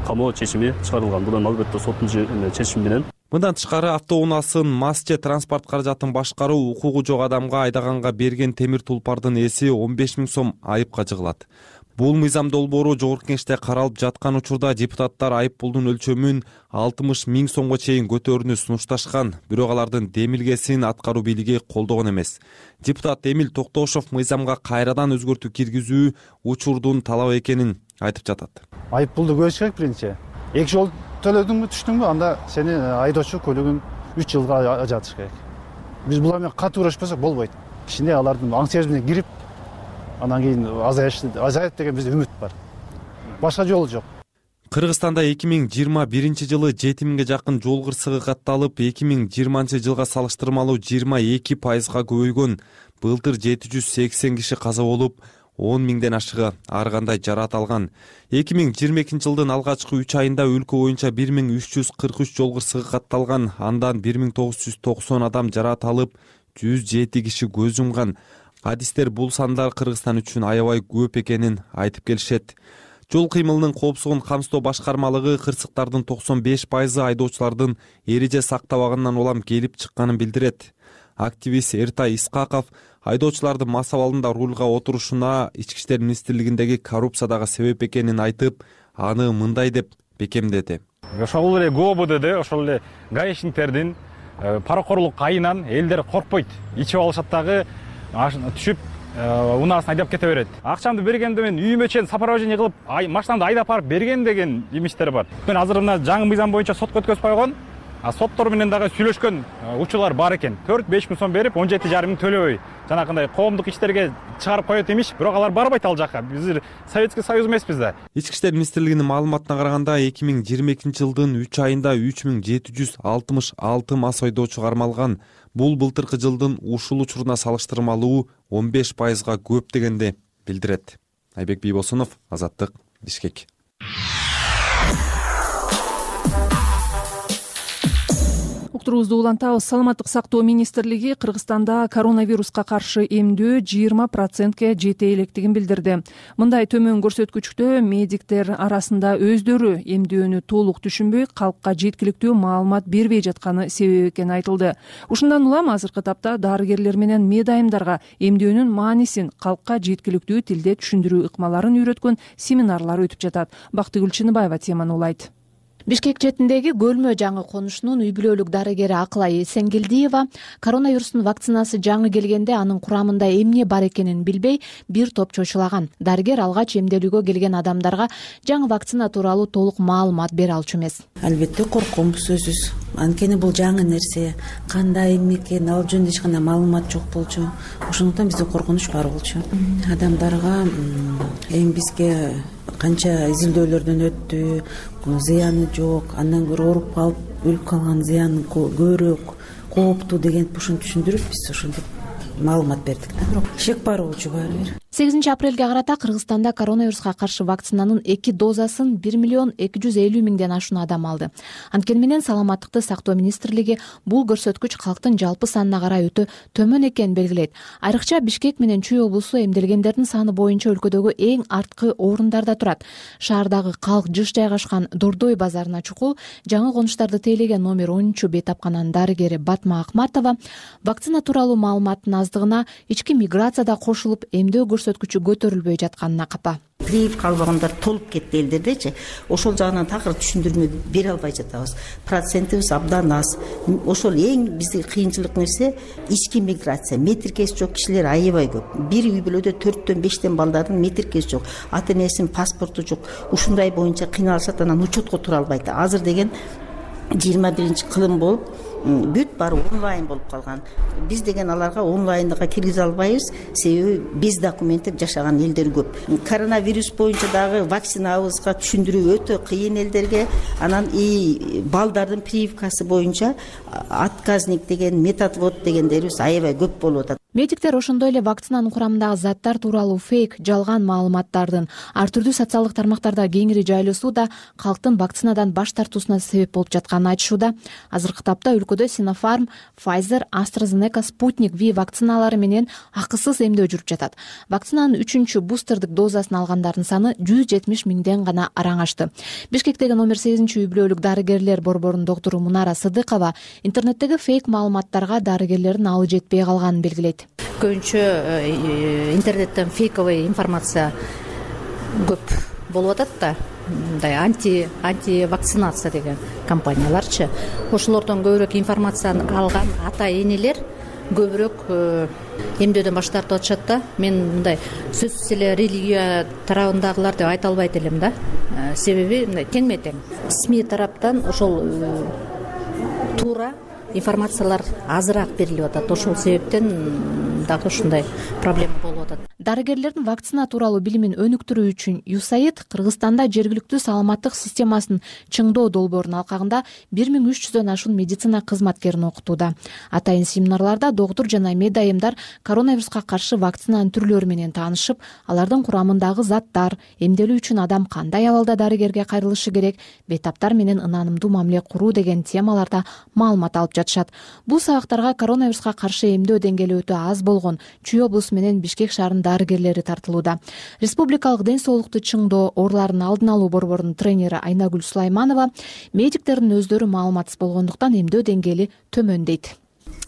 Speaker 5: камоо чечими чыгарылган. Бул эми албетте соттун чечими менен.
Speaker 26: Мындан тышкары автоунаасын мас же транспорт каражатын башкаруу укугу жок адамга айдаганга берген темир тулпардын эси он беш миң сом айыпка жыгылат. Бул мыйзам долбоору Жогорку Кеңеште каралып жаткан учурда депутаттар айып пулдун өлчөмүн алтымыш миң сомго чейин көтөрүүнү сунушташкан, бирок алардын демилгесин аткаруу бийлиги колдогон эмес. Депутат Эмил Токтошов мыйзамга кайрадан өзгөртүү киргизүү учурдун талап экенин айтып жатат.
Speaker 27: Айып пулду көбөйүш керек биринчи. Эки жол төлөдүңбү, түштүңбү, анда сени айдоочу көлүгүн үч жылга ажыратыш керек. Биз була менен катуу уурашпасак болбойт. Кичине алардын аң сезимине кирип, анан кийин азайат деген бизде үмүт бар. Башка жолу жок.
Speaker 26: Кыргызстанда эки миң жыйырма биринчи жылы жети миңге жакын жол кырсыгы катталып, эки миң жыйырманчы жылга салыштырмалуу жыйырма эки пайызга көбөйгөн. Былтыр жети жүз сексен киши каза болуп, он миңден ашыгы ар кандай жараат алган. эки миң жыйырма экинчи жылдын алгачкы үч айында өлкө боюнча бир миң үч жүз кырк үч жол кырсыгы катталган. Андан бир миң тогуз жүз токсон адам жараат алып, жүз жети киши көз жумган. Адистер бул сандар Кыргызстан үчүн аябай көп экенин айтып келишет. Жол кыймылынын коопсуздугун камсыздоо башкармалыгы кырсыктардын токсон беш пайызы айдоочулардын эреже сактабагандан улам келип чыкканын билдирет. Активист Эртай Искаков айдоочулардын мас абалында рульга отурушуна Ички иштер министрлигиндеги коррупция дагы себеп экенин айтып, аны мындай деп бекемдеди.
Speaker 27: Ошол эле ГОБД, ошол эле гаишниктердин паракорлук айынан элдер коркпойт. Ичип алышат дагы түшүп унаасын айдап кете берет. Акчамды бергенде мен үйүмө чейин сопровождение кылып, машинамды айдап барып берген деген имиштер бар. Мен азыр мына жаңы мыйзам боюнча сотко өткөзүп койгон. А соттор менен дагы сүйлөшкөн учурлар бар экен. төрт беш миң сом берип, он жети жарым миң төлөбөй. Жанакындай коомдук иштерге чыгарып коет имиш, бирок алар барбайт ал жака. Биз Советский Союз эмеспиз да.
Speaker 26: Ички иштер министрлигинин маалыматына караганда, эки миң жыйырма экинчи жылдын үч айында үч миң жети жүз алтымыш алты мас айдоочу кармалган. Бул былтыркы жылдын ушул учуруна салыштырмалуу он беш пайызга көп дегенди билдирет. Айбек Бийбосунов, Азаттык, Бишкек.
Speaker 2: Уктуруубузду улантабыз. Саламаттык сактоо министрлиги Кыргызстанда коронавируска каршы эмдөө жыйырма процентке жете электигин билдирди. Мындай төмөн көрсөткүчтө медиктер арасында өздөрү эмдөөнү толук түшүнбөй, калкка жеткиликтүү маалымат бербей жатканы себеп экени айтылды. Ушундан улам азыркы тапта дарыгерлер менен медайымдарга эмдөөнүн маанисин калкка жеткиликтүү тилде түшүндүрүү ыкмаларын үйрөткөн семинарлар өтүп жатат. Бактыгүл Чыныбаева теманы улайт.
Speaker 6: Бишкек четиндеги Көлмө жаңы конушунун үй бүлөлүк дарыгери Акылай Эсенгелдиева коронавирустун вакцинасы жаңы келгенде анын курамында эмне бар экенин билбей бир топ чочулаган. Дарыгер алгач эмделүүгө келген адамдарга жаңы вакцина тууралуу толук маалымат бере алчу эмес.
Speaker 7: Албетте корком сөзсүз. Анткени бул жаңы нерсе, кандай эмне экени ал жөнүндө эч кандай маалымат жок болчу. Ошондуктан бизде коркунуч бар болчу. Адамдарга эми бизге канча изилдөөлөрдөн өттү, зыяны жок, андан көрө ооруп калып өлүп калган зыяны көбүрөөк, кооптуу деген ушуну түшүндүрүп биз ошентип маалымат бердик да. Бирок шек бар болчу баары бир.
Speaker 6: сегизинчи апрелге карата Кыргызстанда коронавируска каршы вакцинанын эки дозасын бир миллион эки жүз элүү миңден ашуун адам алды. Анткени менен Саламаттыкты сактоо министрлиги бул көрсөткүч калктын жалпы санына карай өтө төмөн экенин белгилейт. Айрыкча Бишкек менен Чүй облусу эмделгендердин саны боюнча өлкөдөгү эң арткы орундарда турат. Шаардагы калк жыш жайгашкан Дордой базарына чукул жаңы конуштарды тейлеген номер онунчу бейтапкананын дарыгери Батма Акматова вакцина тууралуу маалыматтын аздыгына ички миграция да кошулуп эмдөө көрсөткүчү көтөрүлбөй жатканына капа.
Speaker 8: Привив калбагандар толуп кетти элдердечи. Ошол жагынан такыр түшүндүрмө бере албай жатабыз. Процентибиз абдан аз. Ошол эң бизди кыйынчылык нерсе ички миграция. Метиркеси жок кишилер аябай көп. Бир үй бүлөдө төрттөн бештен балдардын метиркеси жок, ата энесинин паспорту жок. Ушундай боюнча кыйналышат, анан учетко тура албайт. Азыр деген жыйырма биринчи кылым болуп, бүт баары онлайн болуп калган. Биз деген аларга онлайнга киргизе албайбыз, себеби без документтер жашаган элдер көп. Коронавирус боюнча дагы вакцинабызга түшүндүрүү өтө кыйын элдерге. Анан и балдардын прививкасы боюнча отказник деген, методвод дегендерибиз аябай көп болуп атат.
Speaker 6: Медиктер ошондой эле вакцинанын курамындагы заттар тууралуу фейк, жалган маалыматтардын ар түрдүү социалдык тармактарда кеңири жайылуусу да калктын вакцинадан баш тартуусуна себеп болуп жатканын айтышууда. Азыркы тапта өлкөдө Sinopharm, Pfizer, AstraZeneca, Sputnik V вакциналары менен акысыз эмдөө жүрүп жатат. Вакцинанын үчүнчү бустердик дозасын алгандардын саны жүз жетимиш миңден гана араң ашты. Бишкектеги номер сегизинчи үй бүлөлүк дарыгерлер борборунун доктору Мунара Сыдыкова интернеттеги фейк маалыматтарга дарыгерлердин алы жетпей калганын белгилейт.
Speaker 4: Көбүнчө интернеттен фейковый информация көп болуп атат да, мындай анти анти вакцинация деген компанияларчы. Ошолордон көбүрөөк информацияны алган ата энелер көбүрөөк эмдөөдөн баш тартып атышат да. Мен мындай сөзсүз эле религия тарабындагылар деп айта албайт элем да. Себеби мындай теңме тең СМИ тараптан ошол туура информациялар азыраак берилип атат. Ошол себептен дагы ушундай проблема болуп атат.
Speaker 6: Дарыгерлердин вакцина тууралуу билимин өнүктүрүү үчүн ЮСАИД Кыргызстанда жергиликтүү саламаттык системасын чыңдоо долбоорунун алкагында бир миң үч жүздөн ашуун медицина кызматкерин окутууда. Атайын семинарларда доктур жана медайымдар коронавируска каршы вакцинанын түрлөрү менен таанышып, алардын курамындагы заттар, эмделүү үчүн адам кандай абалда дарыгерге кайрылышы керек, бейтаптар менен ынанымдуу мамиле куруу деген темаларда маалымат алып жатышат. Бул сабактарга коронавируска каршы эмдөө деңгээли өтө аз болгон Чүй облусу менен Бишкек шаарынын дарыгерлери тартылууда. Республикалык ден соолукту чыңдоо оорулардын алдын алуу борборунун тренери Айнагүл Сулайманова медиктердин өздөрү маалыматсыз болгондуктан эмдөө деңгээли төмөн дейт.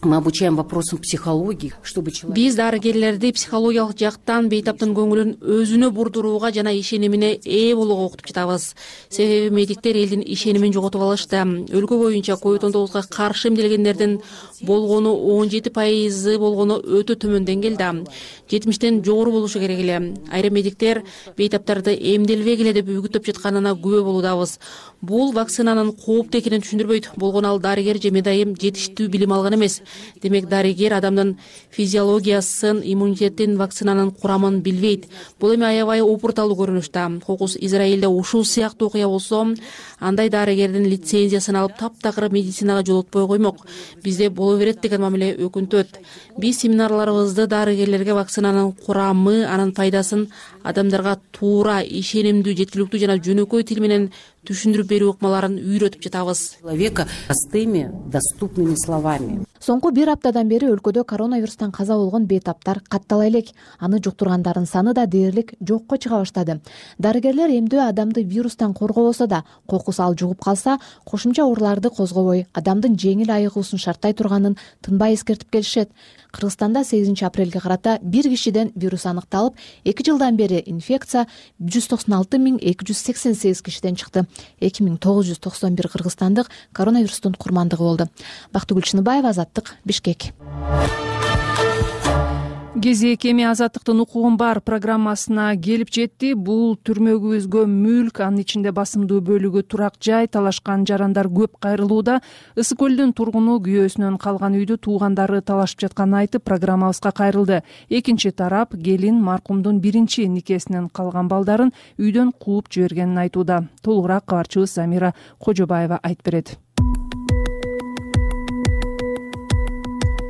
Speaker 9: Мы обучаем вопросам психологии, чтобы человек...
Speaker 10: Биз дарыгерлерди психологиялык жактан бейтаптын көңүлүн өзүнө бурдурууга жана ишенимине ээ болууга окутуп жатабыз. Себеби медиктер элдин ишенимин жоготуп алышты. Өлкө боюнча ковид он тогузга каршы эмделгендердин болгону он жети пайызы болгону өтө төмөн деңгээлде. жетимиштен жогору болушу керек эле. Айрым медиктер бейтаптарды эмделбегиле эле деп үгүттөп жатканына күбө болуудабыз. Бул вакцинанын кооптуу экенин түшүндүрбөйт. Болгону ал дарыгер же медайым жетиштүү билим алган эмес. Демек дарыгер адамдын физиологиясын, иммунитетин, вакцинанын курамын билбейт. Бул эми аябай опурталуу көрүнүш да. Кокус Израилде ушул сыяктуу окуя болсо, андай дарыгердин лицензиясын алып таптакыр медицинага жолотпой коймок. Бизде боло берет деген мамиле өкүнтөт. Биз семинарларыбызды дарыгерлерге вакцинанын курамы, анын пайдасын адамдарга туура, ишенимдүү, жеткиликтүү жана жөнөкөй тил менен түшүндүрүп берүү ыкмаларын үйрөтүп жатабыз.
Speaker 9: Человека простыми, доступными словами.
Speaker 6: Соңку бир аптадан бери өлкөдө коронавирустан каза болгон бейтаптар каттала элек. Аны жуктургандардын саны да дээрлик жокко чыга баштады. Дарыгерлер эмдөө адамды вирустан коргобосо да, кокус ал жугуп калса, кошумча ооруларды козгобой, адамдын жеңил айыгуусун шарттай турганын тынбай эскертип келишет. Кыргызстанда сегизинчи апрелге карата бир кишиден вирус аныкталып, эки жылдан бери инфекция жүз токсон алты миң эки жүз сексен сегиз кишиден чыкты. эки миң тогуз жүз токсон бир кыргызстандык коронавирустун курмандыгы болду. Бактыгүл Чыныбаева, Азаттык, Бишкек.
Speaker 2: Кезек эми Азаттыктын укугун бар программасына келип жетти. Бул түрмөгүбүзгө мүлк, анын ичинде басымдуу бөлүгү турак жай, талашкан жарандар көп кайрылууда. Ысык көлдүн тургуну күйөөсүнөн калган үйдү туугандары талашып жатканын айтып, программабызга кайрылды. Экинчи тарап келин маркумдун биринчи никесинен калган балдарын үйдөн кууп жибергенин айтууда. Толугураак кабарчыбыз Замира Кожобаева айтып берет.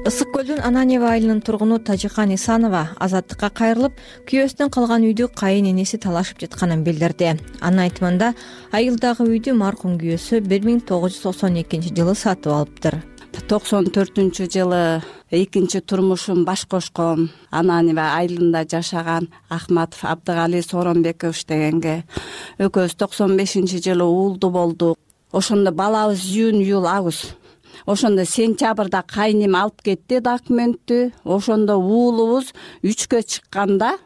Speaker 11: Ысык көлдүн Ананьева айылынын тургуну Тажикан Исанова Азаттыкка кайрылып, күйөөсүнөн калган үйдү кайын энеси талашып жатканын билдирди. Анын айтымында, айылдагы үйдү маркум күйөөсү бир миң тогуз жүз токсон экинчи жылы сатып алыптыр.
Speaker 12: токсон төртүнчү жылы экинчи турмушун баш кошкон Ананьева айылында жашаган Ахматов Абдыгали Соронбекович дегенге экөөбүз токсон бешинчи жылы уулду болдук. Ошондо балабыз июнь июль август. Ошондо сентябрда кайнем алып кетти документтү. Ошондо уулубуз үчкө чыкканда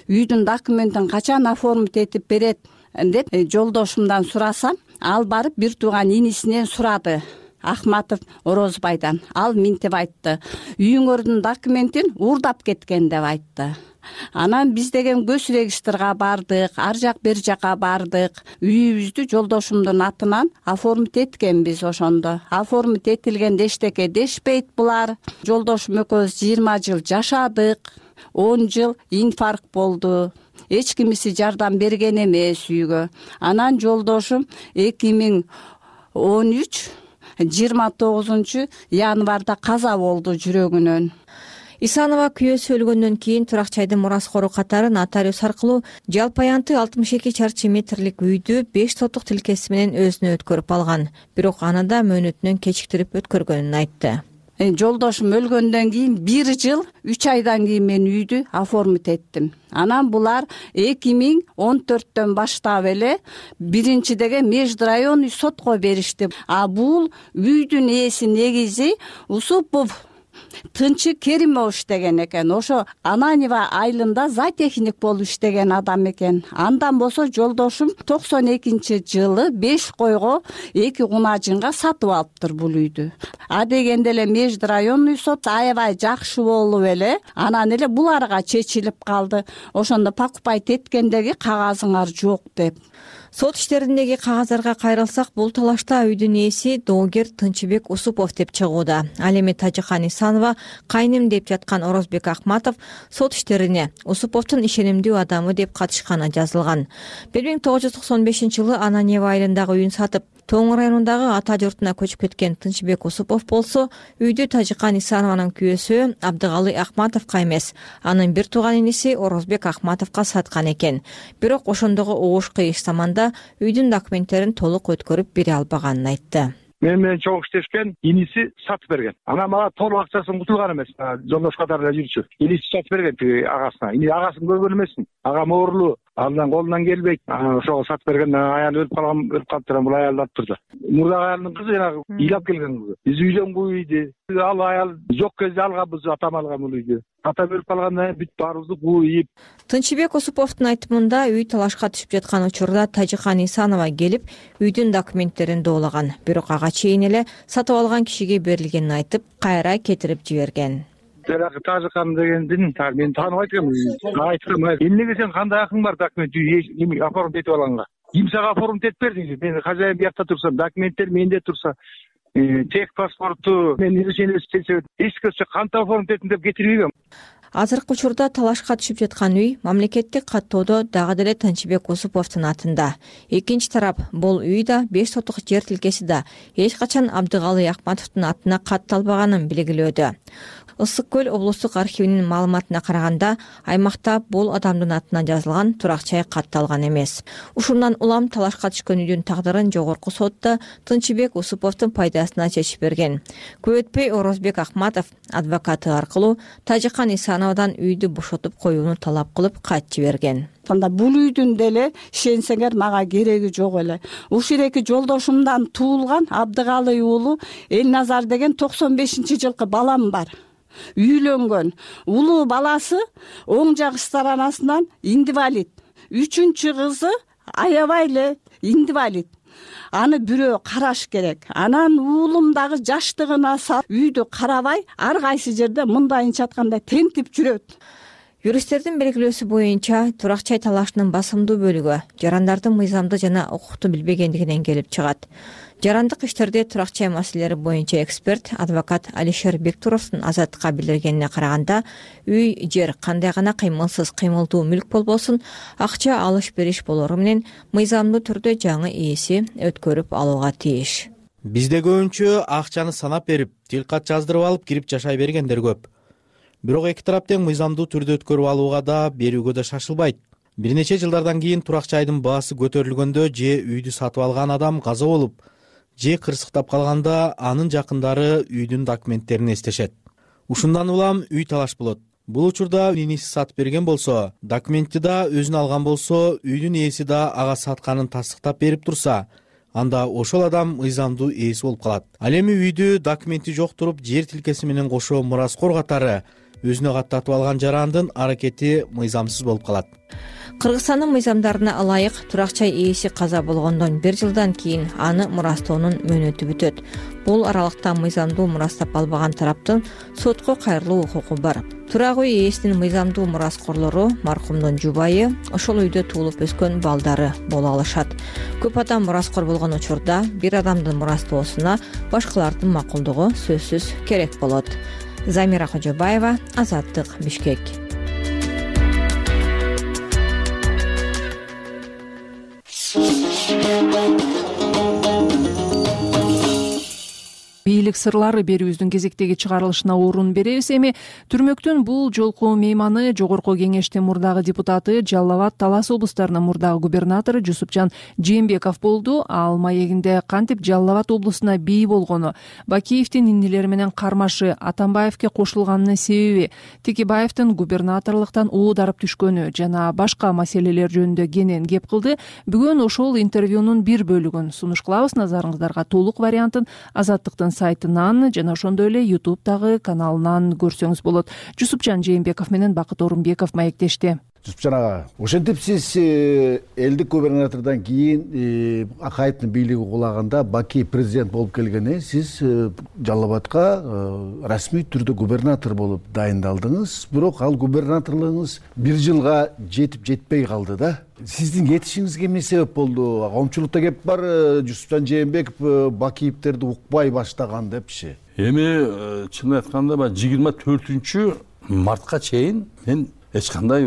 Speaker 12: үйдүн документин качан оформить этип берет деп жолдошумдан сурасам, ал барып бир тууган инисинен сурады. Ахматов Орозбайдан. Ал минтип айтты: үйүңөрдүн документин уурдап кеткен деп айтты. Анан биз деген көз регистрга бардык, ар жак бер жака бардык. Үйүбүздү жолдошумдун атынан оформить эткенбиз. Ошондо оформить этилгенде эчтеке дешпейт булар. Жолдошум экөөбүз жыйырма жыл жашадык. он жыл инфаркт болду. Эч кимиси жардам берген эмес үйгө. Анан жолдошум эки миң он үч жыйырма тогузунчу январда каза болду жүрөгүнөн.
Speaker 11: Исанова күйөөсү өлгөндөн кийин Туракчайдын мураскору катары нотариус аркылуу жалпы аянты алтымыш эки чарчы метрлик үйдү беш сотук тилкеси менен өзүнө өткөрүп алган. Бирок аны да мөөнөтүнөн кечиктирип өткөргөнүн айтты.
Speaker 12: Жолдошум өлгөндөн кийин бир жыл үч айдан кийин мен үйдү оформить эттим. Анан булар эки миң он төрттөн баштап эле биринчи деген межрайонный сотко беришти. А бул үйдүн ээси негизи Усупов Тынчы Керимов иштеген экен. Ошо Ананева айылында зоотехник болуп иштеген адам экен. Андан болсо жолдошум токсон экинчи жылы беш койго эки кунажынга сатып алыптыр бул үйдү. А дегенде эле межрайонный сот аябай жакшы болуп эле анан эле буларга чечилип калды. Ошондо покупать эткендеги кагазыңар жок деп.
Speaker 11: Сот иштериндеги кагаздарга кайрылсак, бул талашта үйдүн ээси доогер Тынчыбек Усупов деп чыгууда. Ал эми Тажикан Исанова кайным деп жаткан Орозбек Ахматов сот иштерине Усуповдун ишенимдүү адамы деп катышканы жазылган. бир миң тогуз жүз токсон бешинчи жылы Ананева айылындагы үйүн сатып, Тоң районундагы ата журтуна көчүп кеткен Тынчыбек Усупов болсо, үйдү Тажикан Исанованын күйөөсү Абдыгалы Ахматовго эмес, анын бир тууган иниси Орозбек Ахматовго саткан экен. Бирок ошондогу угуш кыйыш заманда үйдүн документтерин толук өткөрүп бере албаганын айтты.
Speaker 1: Мен менен чогуу иштешкен иниси сатып берген. Анан мага толук акчасын кутулган эмес. Жолдош катары эле жүрчү. Иниси сатып берген тиги агасына. Ини агасын көргөн эмесмин. Агам оорлуу. Андан колунан келбейт. Ошого сатып берген. Аял өлүп калган, өлүп калыптыр. Бул аялды алып турду. Мурдагы аялдын кызы жанагы ыйлап келген кызы. Биз үйлөнгү үйдү. Ал аял жок кезде алганбыз, атам алган бул үйдү. Ата өлүп калгандан кийин бүт баарыбызды кууйуп.
Speaker 11: Тынчыбек Усуповдун айтымында үй талашка түшүп жаткан учурда Тажикан Исанова келип үйдүн документтерин доолаган. Бирок ага чейин эле сатып алган кишиге берилгенин айтып, кайра кетирип жиберген.
Speaker 1: Жанагы Тажикан дегендин мен тааныбайт экенмин. Айткам, эмнеге сен кандай акың бар документ эми оформить этип алганга? Ким сага оформить этип берди? Мен хозяин биякта турсам, документтер менде турса, тек паспорту мен решение иштесе, эч кече кантип оформить этим деп кетирбейм.
Speaker 11: Азыркы учурда талашка түшүп жаткан үй мамлекеттик каттоодо дагы деле Тынчыбек Усуповдун атында. Экинчи тарап бул үй да беш сотук жер тилкеси да эч качан Абдыгалы Акматовдун атына катталбаганын белгилөөдө. Ысык көл облустук архивинин маалыматына караганда, аймакта бул адамдын атына жазылган турак-жай катталган эмес. Ушундан улам талашка түшкөн үйдүн тагдырын жогорку сотто Тынчыбек Усуповдун пайдасына чечип берген. Көп өтпөй Орозбек Ахматов адвокаты аркылуу Тажикан Исановадан үйдү бошотуп коюуну талап кылып кат жиберген.
Speaker 12: Анда бул үйдүн деле ишенсеңер мага кереги жок эле. Ушул эки жолдошумдан туулган Абдыгалы уулу Элназар деген токсон бешинчи жылкы балам бар. Үйлөнгөн. Улуу баласы оң жак сторонасынан инвалид. Үчүнчү кызы аябай эле инвалид. Аны бирөө караш керек. Анан уулум дагы жаштыгына салып үйдү карабай, ар кайсы жерде мындайынча айтканда тентип жүрөт.
Speaker 11: Юристтердин белгилөөсү боюнча, турак-жай талашынын басымдуу бөлүгү жарандардын мыйзамды жана укукту билбегендигинен келип чыгат. Жарандык иштерде турак-жай маселелери боюнча эксперт, адвокат Алишер Бектуровдун Азаттыкка билдиргенине караганда, үй, жер кандай гана кыймылсыз кыймылдуу мүлк болбосун, акча алыш-бериш болору менен мыйзамдуу түрдө жаңы ээси өткөрүп алууга тийиш.
Speaker 13: Бизде көбүнчө акчаны санап берип, тилкат жаздырып алып кирип жашай бергендер көп. Бирок эки тарап тең мыйзамдуу түрдө өткөрүп алууга да, берүүгө да шашылбайт. Бир нече жылдардан кийин турак-жайдын баасы көтөрүлгөндө же үйдү сатып алган адам каза болуп, же кырсыктап калганда анын жакындары үйдүн документтерин эстешет. Ушундан улам үй талаш болот. Бул учурда иниси сатып берген болсо, документти да өзүнө алган болсо, үйдүн ээси да ага сатканын тастыктап берип турса, анда ошол адам мыйзамдуу ээси болуп калат. Ал эми үйдү документи жок туруп, жер тилкеси менен кошо мураскор катары өзүнө каттатып алган жарандын аракети мыйзамсыз болуп калат.
Speaker 11: Кыргызстандын мыйзамдарына ылайык турак жай ээси каза болгондон бир жылдан кийин аны мурастоонун мөөнөтү бүтөт. Бул аралыкта мыйзамдуу мурастап албаган тараптын сотко кайрылуу укугу бар. Турак үй ээсинин мыйзамдуу мураскорлору маркумдун жубайы, ошол үйдө туулуп өскөн балдары боло алышат. Көп адам мураскор болгон учурда бир адамдын мурастоосуна башкалардын макулдугу сөзсүз керек болот. Замира Кожобаева, Азаттык, Бишкек.
Speaker 2: Бийлик сырлары берүүбүздүн кезектеги чыгарылышына орун беребиз. Эми түрмөктүн бул жолку мейманы Жогорку Кеңештин мурдагы депутаты, Жалал Абад, Талас облустарынын мурдагы губернатору Жусупжан Жээнбеков болду. Ал маегинде кантип Жалал Абад облусуна бий болгону, Бакиевдин иннелери менен кармашы, Атамбаевке кошулганынын себеби, Текебаевдин губернаторлуктан оодарып түшкөнү жана башка маселелер жөнүндө кенен кеп кылды. Бүгүн ошол интервьюнун бир бөлүгүн сунуш кылабыз. Назарыңыздарга толук вариантын Азаттыктын сайтынан жана ошондой эле ютубтагы каналынан көрсөңүз болот. Жусупжан Жээнбеков менен Бакыт Орунбеков маектешти.
Speaker 14: Жусупжан ага, ошентип сиз элдик губернатордон кийин Акаевдин бийлиги кулаганда Бакиев президент болуп келгенде сиз Жалал Абадка расмий түрдө губернатор болуп дайындалдыңыз. Бирок ал губернаторлугуңуз бир жылга жетип жетпей калды да. Сиздин кетишиңизге эмне себеп болду? Коомчулукта кеп бар, Жусупжан Жээнбеков Бакиевтерди укпай баштаган депчи.
Speaker 15: Эми чынын айтканда баягы жыйырма төртүнчү мартка чейин мен эч кандай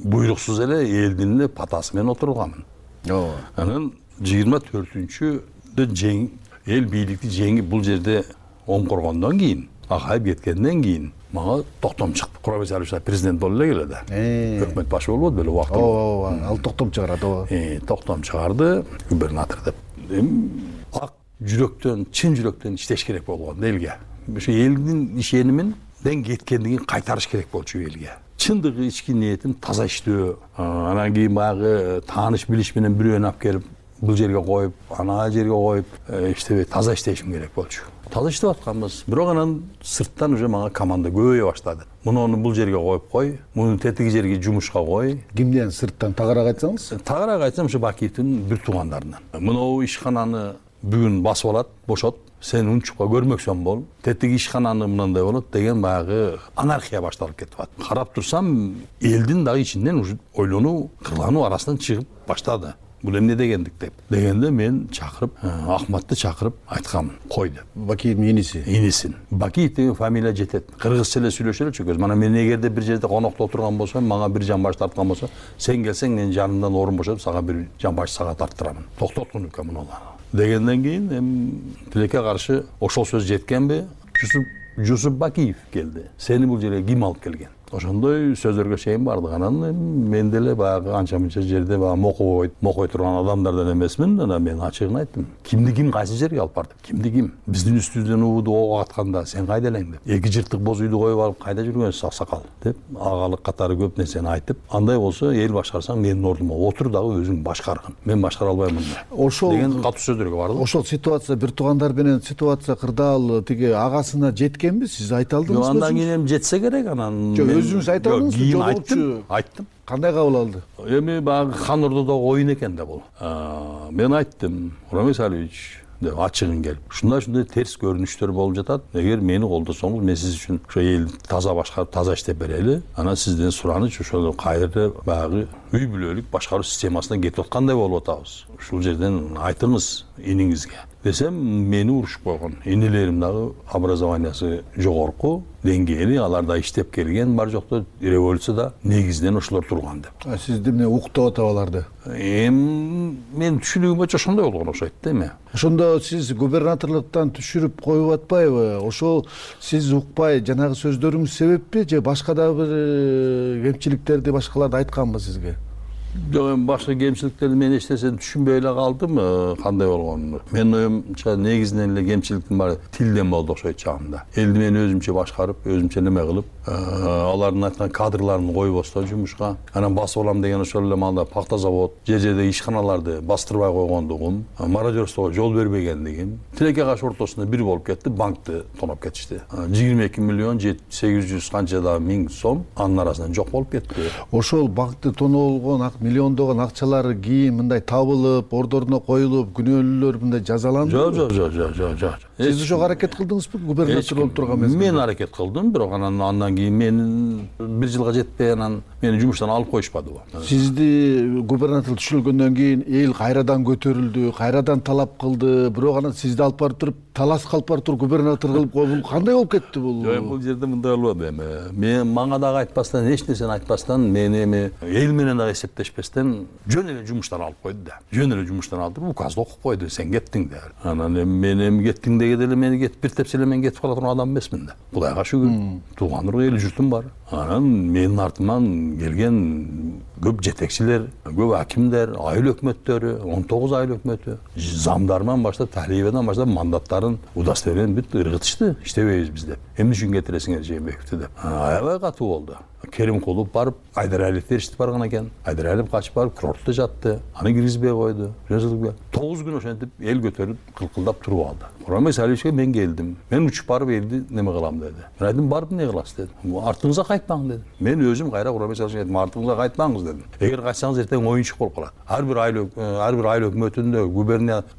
Speaker 15: буйруксуз эле элдин эле патасы менен отурганмын. Ооба. Анан жыйырма төртүнчүдө жең эл бийликти жеңип бул жерде оңкоргондон кийин, Акаев кеткенден кийин мага токтом чыкты. Курабек Алиевич президент болуп эле келе да. Өкмөт башы болбоду беле убакта.
Speaker 14: Ооба, ал токтом чыгарат, ооба.
Speaker 15: Э, токтом чыгарды, губернатор деп. Эми ак жүрөктөн, чын жүрөктөн иштеш керек болгон элге. Ошо элдин ишенимин ден кеткенден кийин кайтарыш керек болчу элге. Чындыгы ички ниетин таза иштөө, анан кийин баягы тааныш билиш менен бирөөнү алып келип бул жерге коюп, ана жерге коюп, иштебей таза иштешим керек болчу. Таза иштеп атканбыз. Бирок анан сырттан уже мага команда көбөйө баштады. Муну бул жерге коюп кой, муну тетиги жерге жумушка кой.
Speaker 14: Кимден сырттан тагыраак айтсаңыз?
Speaker 15: Тагыраак айтсам, ушу Бакиевдин бир туугандарынан. Муну ишкананы бүгүн басып алат, бошот. Сен унчукка көрмөксөң бол, тетиги ишкананы мындай болот деген баягы анархия башталып кетип атат. Карап турсам, элдин дагы ичинен уже ойлонуу, кырлануу арасынан чыгып баштады. Бул эмне дегендик деп. Дегенде мен чакырып, Ахматты чакырып айткам, кой деп.
Speaker 14: Бакиевдин иниси.
Speaker 15: Инисин. Бакиев деген фамилия жетет. Кыргызча эле сүйлөшөлү чөкөз. Мана мен эгерде бир жерде конокто отурган болсом, мага бир жан баш тарткан болсо, сен келсең мен жанымдан орун бошотуп, сага бир жан баш сага тарттырамын. Токтоттун экен муну. Дегенден кийин эми тилекке каршы ошол сөз жеткенби? Жусуп Жусуп Бакиев келди. Сени бул жерге ким алып келген? Ошондой сөздөргө чейин бардык. Анан мен деле баягы анча-мынча жерде баягы мокой, мокой турган адамдардан эмесмин. Анан мен ачыгын айттым. Кимди ким кайсы жерге алып барды? Кимди ким? Биздин үстүбүздөн убуду ок атканда сен кайда элең деп. Эки жыртык боз үйдү коюп алып кайда жүргөнсүз аксакал деп агалык катары көп нерсени айтып, андай болсо эл башкарсаң менин ордума отур дагы өзүң башкаргын. Мен башкара албаймын
Speaker 14: ошол
Speaker 15: деген катуу сөздөргө барды.
Speaker 14: Ошол ситуация бир туугандар менен ситуация кырдаал тиги агасына жеткенби? Сиз айта алдыңызбы?
Speaker 15: Жок, андан кийин эми жетсе керек, анан
Speaker 14: өзүңүз айта алдыңызбы?
Speaker 15: Кийин айттым, айттым.
Speaker 14: Кандай кабыл алды?
Speaker 15: Эми баягы хан ордодогу оюн экен да бул. Мен айттым, Курабек Алиевич деп ачыгын келип, ушундай-ушундай терс көрүнүштөр болуп жатат. Эгер мени колдосоңуз, мен сиз үчүн ошо элди таза башкарып, таза иштеп берели. Анан сизден сураныч ошол кайра баягы үй бүлөлүк башкаруу системасына кетип аткандай болуп атабыз. Ушул жерден айтыңыз иниңизге десем, мени урушуп койгон. Инилерим дагы образованиясы жогорку деңгээли, алар да иштеп келген, бар жокто революцияда негизинен ошолор турган деп.
Speaker 14: А сиз эмне уктап атып аларды?
Speaker 15: Эми мен түшүнүгүм боюнча ошондой болгон окшойт да эми.
Speaker 14: Ошондо сиз губернаторлуктан түшүрүп коюп атпайбы? Ошол сиз укпай жанагы сөздөрүңүз себеппи же башка да бир кемчиликтерди башкаларды айтканбы сизге?
Speaker 15: жок эми башка кемчиликтерди мен эчтесин түшүнбөй эле калдым кандай болгонун. Менин оюмча негизинен эле кемчиликтин баары тилден болду окшойт чагымда. Элди мен өзүмчө башкарып, өзүмчө неме кылып, алардын айткан кадрларын койбостон жумушка. Анан басып алам деген ошол эле маалда пакта завод, жер жердеги ишканаларды бастырбай койгондугум, мародерствого жол бербегендигим, тилекке каршы ортосунда бир болуп кетти, банкты тоноп кетишти. жыйырма эки миллион сегиз жүз канча да миң сом анын арасынан жок болуп кетти.
Speaker 14: Ошол банкты тоноолгон миллиондогон акчалары кийин мындай табылып, ордоруна коюлуп, күнөөлүүлөр мындай жазаланды?
Speaker 15: Жок, жок, жок, жок, жок, жок.
Speaker 14: Сиз ошого аракет кылдыңызбы губернатор болуп турган мезгилде?
Speaker 15: Мен аракет кылдым, бирок анан андан кийин мен бир жылга жетпей анан мени жумуштан алып коюшпады.
Speaker 14: Сизди губернатор түшүрүлгөндөн кийин эл кайрадан көтөрүлдү, кайрадан талап кылды, бирок анан сизди алып барып туруп таласка алып барып туруп губернатор кылып койду. Бул кандай болуп кетти бул?
Speaker 15: Жок, бул жерде мындай болду эми. Мен мага дагы айтпастан, эч нерсени айтпастан, мени эми эл менен дагы эсептешпестен жөн эле жумуштан алып койду да. Жөн эле жумуштан алып туруп указды окуп койду, сен кеттиң деп. Анан эми мен эми кеттиң дегенде эле мени кетип бир тепсе эле мен кетип кала турган адам эмесмин да. Кудайга шүгүр, тууган уру эл журтум бар. Анан менин артыман келген көп жетекчилер, көп акимдер, айыл өкмөттөрү, он тогуз айыл өкмөтү, замдарынан баштап, талибадан баштап мандаттарын удостоверение бүт ыргытышты, иштебейбиз биз деп. Эмне үчүн кетиресиңер Жээнбековду деп. Аябай катуу болду. Керимкулов барып, Айдаралиев эриштип барган экен. Айдаралиев качып барып, курортто жатты. Аны киргизбей койду. тогуз күн ошентип эл көтөрүп, кылкылдап туруп алды. Курманбек Салиевичке мен келдим. Мен учуп барып элди неме кылам деди. Мен айттым, барып эмне кыласыз дедим. Артыңызга кайтпаң дедим. Мен өзүм кайра Курманбек Салиевичке айттым, артыңызга кайтпаңыз дедим. Эгер кайтсаңыз эртең оюнчук болуп калат. Ар бир айыл ар бир айыл өкмөтүндө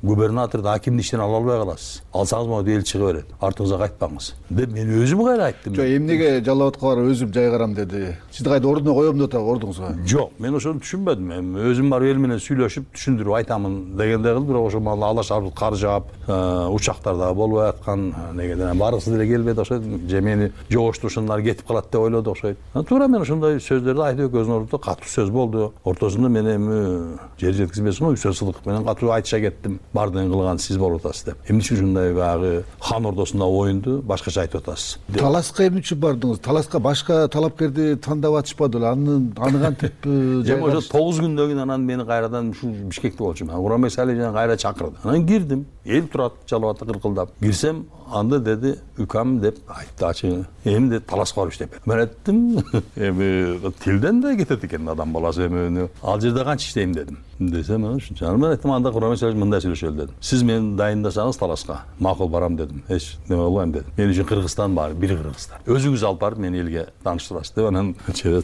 Speaker 15: губернаторду, акимди иштен ала албай каласыз. Алсаңыз могу эл чыга берет. Артыңызга кайтпаңыз деп мен өзүм кайра айттым.
Speaker 14: Жок, эмнеге Жалал Абадка барып өзүм жайгарам деди. Сизди кайда ордуна коем деп атат ордуңузга?
Speaker 15: Жок, мен ошону түшүнбөдүм. Эми өзүм барып эл менен сүйлөшүп, түшүндүрүп айтамын дегендей кылып, бирок ошол маалда алаш арбыз кар жаап, учактар дагы болбой аткан, негеден баргысы деле келбейт окшойт. Же мени жогоштурушундар кетип калат деп ойлоду окшойт. Туура мен ошондой сөздөрдү айтып экөөбүздүн ордунда катуу сөз болду. Ортосунда мен эми жер жеткизбесин го Үсөл Сыдыков менен катуу айтыша кеттим. Бардыгын кылган сиз болуп атасыз деп. Эмне үчүн ушундай баягы хан ордосунда оюнду башкача айтып атасыз?
Speaker 14: Таласка эмне үчүн бардыңыз? Таласка башка талапкерди тандап атышпады эле. Аны аны кантип
Speaker 15: эми ошо тогуз күндөн кийин анан мени кайрадан ушул Бишкекте болчумун. Курманбек Салиевич кайра чакырды. Анан кирдим. Эл турат Жалал Абадта кыркылдап. Кирсем, анда деди, укам деп айтты ачык. Эми де таласка барып иштеп. Мен айттым, эми тилден да кетет экен адам баласы эми. Ал жерде канча иштейм дедим. Десем, ушунча. Мен айттым, анда Курманбек Салиевич мындай сүйлөшөлү дедим. Сиз мени дайындасаңыз таласка, макул барам дедим. Эч неме болбойм дедим. Мен үчүн Кыргызстан бар, бир Кыргызстан. Өзүңүз алып барып мени элге тааныштырасыз деп анан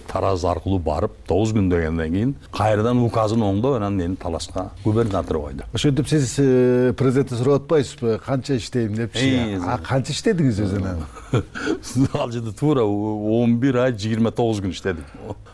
Speaker 15: Тараз аркылуу барып тогуз күн дегенден кийин кайрадан указын оңдоп анан мени таласка губернатор койду.
Speaker 14: Ошентип сиз президентти сурап атпайсызбы, канча иштейм депчи? А канча иштедиңиз өзүнөн?
Speaker 15: Ал жерде туура он бир ай жыйырма тогуз күн иштедим.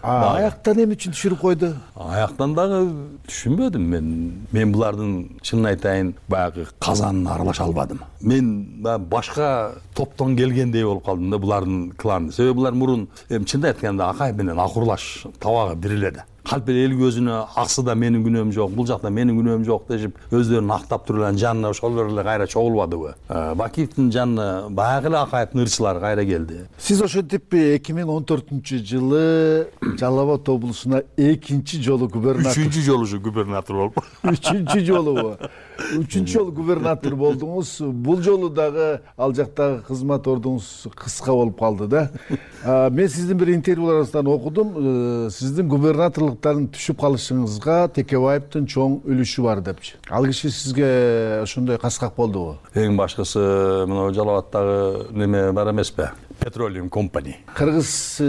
Speaker 14: Аяктан эмне үчүн түшүрүп койду?
Speaker 15: Аяктан дагы түшүнбөдүм мен. Мен булардын чынын айтайын, баягы казанына аралаша албадым. Мен башка топтон келгендей болуп калдым да булардын кланы. Себеби булар мурун эми чынын айтканда Акаев менен акурлаш табагы бир эле да. Калп эле эл көзүнө аксы да менин күнөөм жок, бул жакта менин күнөөм жок дешип, өздөрүн актап туруп эле жанына ошолор эле кайра чогулбадыбы? Бакиевдин жанына баягы эле Акаевдин ырчылары кайра келди.
Speaker 14: Сиз ошентип эки миң он төртүнчү жылы Жалал Абад облусуна экинчи жолу губернатор.
Speaker 15: Үчүнчү жолу ушу губернатор болуп.
Speaker 14: Үчүнчү жолу. Үчүнчү жолу губернатор болдуңуз. Бул жолу дагы ал жактагы кызмат ордуңуз кыска болуп калды да. Мен сиздин бир интервьюларыңыздан окудум, сиздин губернаторлуктан түшүп калышыңызга Текебаевдин чоң үлүшү бар депчи. Ал киши сизге ошондой каскак болдубу?
Speaker 15: Эң башкысы мына Жалал Абадтагы неме бар эмеспи? Petroleum Company.
Speaker 14: Кыргыз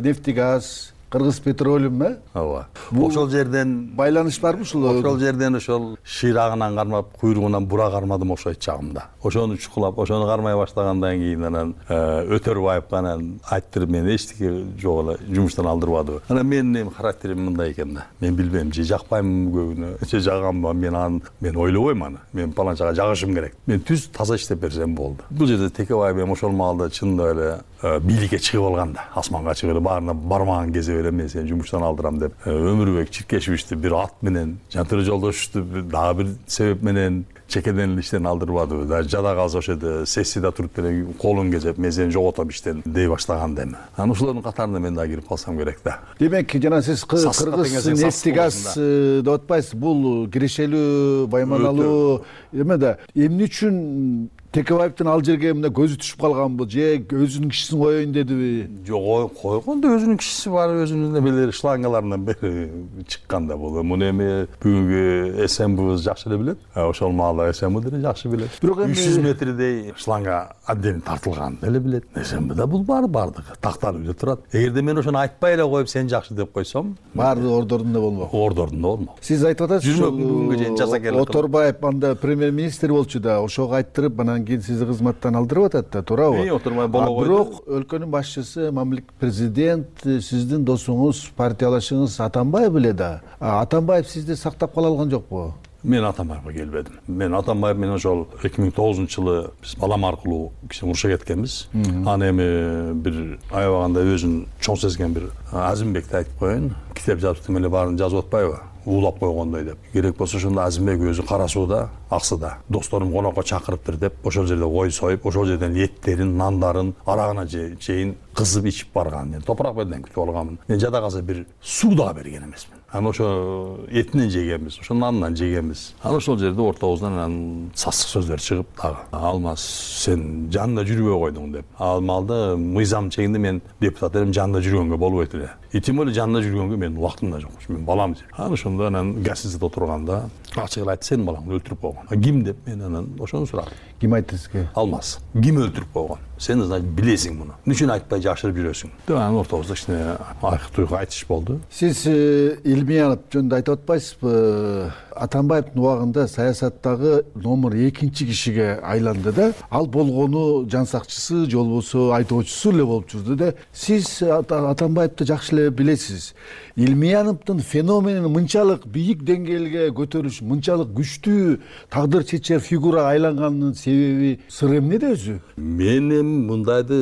Speaker 14: нефтегаз, Кыргыз Petroleum, э?
Speaker 15: Ооба. Ошол жерден
Speaker 14: байланыш барбы ушул?
Speaker 15: Ошол жерден ошол шыйрагынан кармап, куйругунан бура кармадым окшойт чагымда. Ошону чукулап, ошону кармай баштагандан кийин анан Өтөрбаевга анан айттырып мени эчтеке жок эле жумуштан алдырбады. Анан менин характерим мындай экен да. Мен билбейм, же жакпайм көбүнө, же жагамбы, мен аны мен ойлобойм аны. Мен паланчага жагышым керек. Мен түз таза иштеп берсем болду. Бул жерде Текебаев эми ошол маалда чындап эле бийликке чыгып алган да. Асманга чыгып баарына бармаган кезде эле мен сени жумуштан алдырам деп Өмүрбек Чиркешевичти бир ат менен, Жантөре Жолдошевду дагы бир себеп менен чекеден эле иштен алдырбадыбы, даже жада калса ошол жерде сессияда туруп эле колун кезеп мен сени жоготом иштен дей баштаганда эми анан ошолордун катарына мен дагы кирип калсам керек да.
Speaker 14: Демек жана сиз кыргыз нефти газ деп атпайсыз, бул кирешелүү, байманалуу эме да. Эмне үчүн Текебаевдин ал жерге мына көзү түшүп калганбы же өзүнүн кишисин коеюн дедиби?
Speaker 15: Жок, койгондо өзүнүн кишиси бар, өзүнүн эмелери шлангаларынан бери чыккан да бул. Муну эми бүгүнкү СМБыбыз жакшы эле билет. Ошол маалда СМБ деле жакшы билет. Бирок эми үч жүз метрдей шланга отдельно тартылганын деле билет. СМБда бул бар бардыгы такталып эле турат. Эгерде мен ошону айтпай эле коюп сен жакшы деп койсом,
Speaker 14: баардыгы ордорунда болмок.
Speaker 15: Ордорунда болмок.
Speaker 14: Сиз айтып атасыз,
Speaker 15: бүгүнгө чейин жаза келет.
Speaker 14: Оторбаев анда премьер-министр болчу да, ошого айттырып анан кийин сизди кызматтан алдырып атат да, туурабы?
Speaker 15: Отурмай боло койду.
Speaker 14: Бирок өлкөнүн башчысы, мамлекет президент, сиздин досуңуз, партиялашыңыз Атамбаев эле да. Атамбаев сизди сактап кала алган жокпу?
Speaker 15: Мен Атамбаевга келбедим. Мен Атамбаев менен ошол эки миң тогузунчу жылы биз балам аркылуу киши уруша кеткенбиз. Аны эми бир аябаганда өзүн чоң сезген бир Азимбекти айтып коеюн. Китеп жазып эле баарын жазып атпайбы? Уулап койгондой деп. Керек болсо ошондо Азимбек өзү Кара сууда, Аксыда досторум конокко чакырыптыр деп, ошол жерде кой союп, ошол жерден эттерин, нандарын, арагына чейин кызып ичип барган. Мен топурак белден күтүп алганмын. Мен жада калса бир суу дагы берген эмесмин. Анан ошо этинен жегенбиз, ошо нанынан жегенбиз. Анан ошол жерде ортобуздан анан сасык сөздөр чыгып дагы. Алмаз, сен жанында жүрбөй койдуң деп. Ал маалда мыйзам чегинде мен депутат элем, жанында жүргөнгө болбойт эле. И тем более жанында жүргөнгө менин убактым да жок. Мен балам. Анан ошондо анан газетте отурганда ачык эле айтты, сенин балаңды өлтүрүп койгон. А ким деп мен анан ошону сурадым.
Speaker 14: Ким айтты сизге?
Speaker 15: Алмаз. Ким өлтүрүп койгон? Сен значит билесиң муну. Эмне үчүн айтпай жашырып жүрөсүң? Деп анан ортобузда кичине айкы туйгу айтыш болду.
Speaker 14: Сиз Илмиянов жөнүндө айтып атпайсызбы? Атамбаевдин убагында саясаттагы номер экинчи кишиге айланды да. Ал болгону жан сакчысы же болбосо айдоочусу эле болуп жүрдү да. Сиз Атамбаевди жакшы эле билесиз. Илмияновдун феноменин мынчалык бийик деңгээлге көтөрүш, мынчалык күчтүү тагдыр чечер фигурага айланганынын себеби сыры эмнеде өзү?
Speaker 15: Мен эми мындайды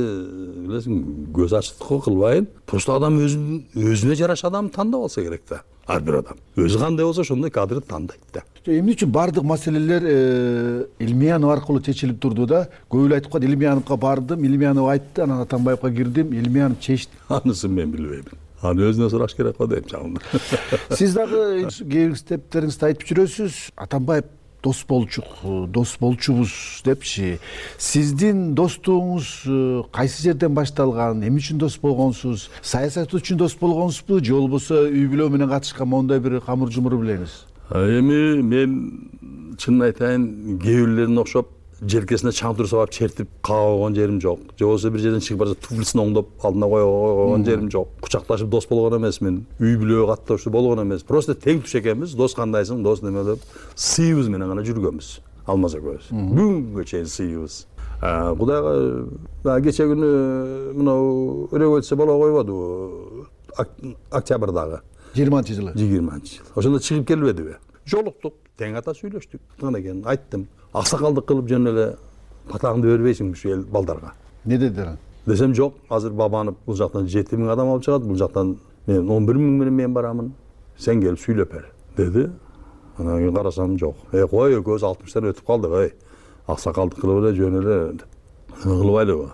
Speaker 15: билесиң, көз ачыктыкка кылбайын. Просто адам өзүнүн өзүнө жараша адамды тандап алса керек да. Ар бир адам өзү кандай болсо ошондой кадрды тандайт да.
Speaker 14: Эмне үчүн бардык маселелер Илмиянов аркылуу чечилип турду да? Көп эле айтып калды, Илмияновго бардым, Илмиянов айтты, анан Атамбаевга кирдим, Илмиянов чечти.
Speaker 15: Анысын мен билбейм. Аны өзүнө сураш керек го дейм чагында.
Speaker 14: Сиз дагы кээ бир китептериңизде айтып жүрөсүз, Атамбаев дос болчук, дос болчубуз депчи. Сиздин достугуңуз кайсы жерден башталган? Эмне үчүн дос болгонсуз? Саясат үчүн дос болгонсузбу же болбосо үй бүлө менен катышкан моундай бир камыр жумур билеңиз?
Speaker 15: Эми мен чынын айтайын, кээ бирлерине окшоп желкесине чаңтур сабап чертип кага койгон жерим жок. Же болбосо бир жерден чыгып барса туфлисин оңдоп алдына кое койгон жерим жок. Кучакташып дос болгон эмесмин. Үй бүлөгө катташып болгон эмес. Просто тең туш экенбиз. Дос кандайсың, дос неме деп сыйыбыз менен гана жүргөнбүз. Алмаз экөөбүз. Бүгүнгө чейин сыйыбыз. Кудайга кече күнү мынау революция боло койбодубу? Октябрдагы.
Speaker 14: жыйырманчы жылы.
Speaker 15: жыйырманчы жыл. Ошондо чыгып келбедиби? Жолуктук, тең ата сүйлөштүк. Кандай экен айттым. Аксакалдык кылып жөн эле батагыңды бербейсиң ушу эл балдарга.
Speaker 14: Не дедилер?
Speaker 15: Десем жок, азыр Бабанов бул жактан жети миң адам алып чыгат, бул жактан мен он бир миң менен мен барамын. Сен келип сүйлөп бер, деди. Анан кийин карасам жок. Э, кой, экөөбүз алтымыштан өтүп калдык, эй. Аксакалдык кылып эле жөн эле кылбайлыбы?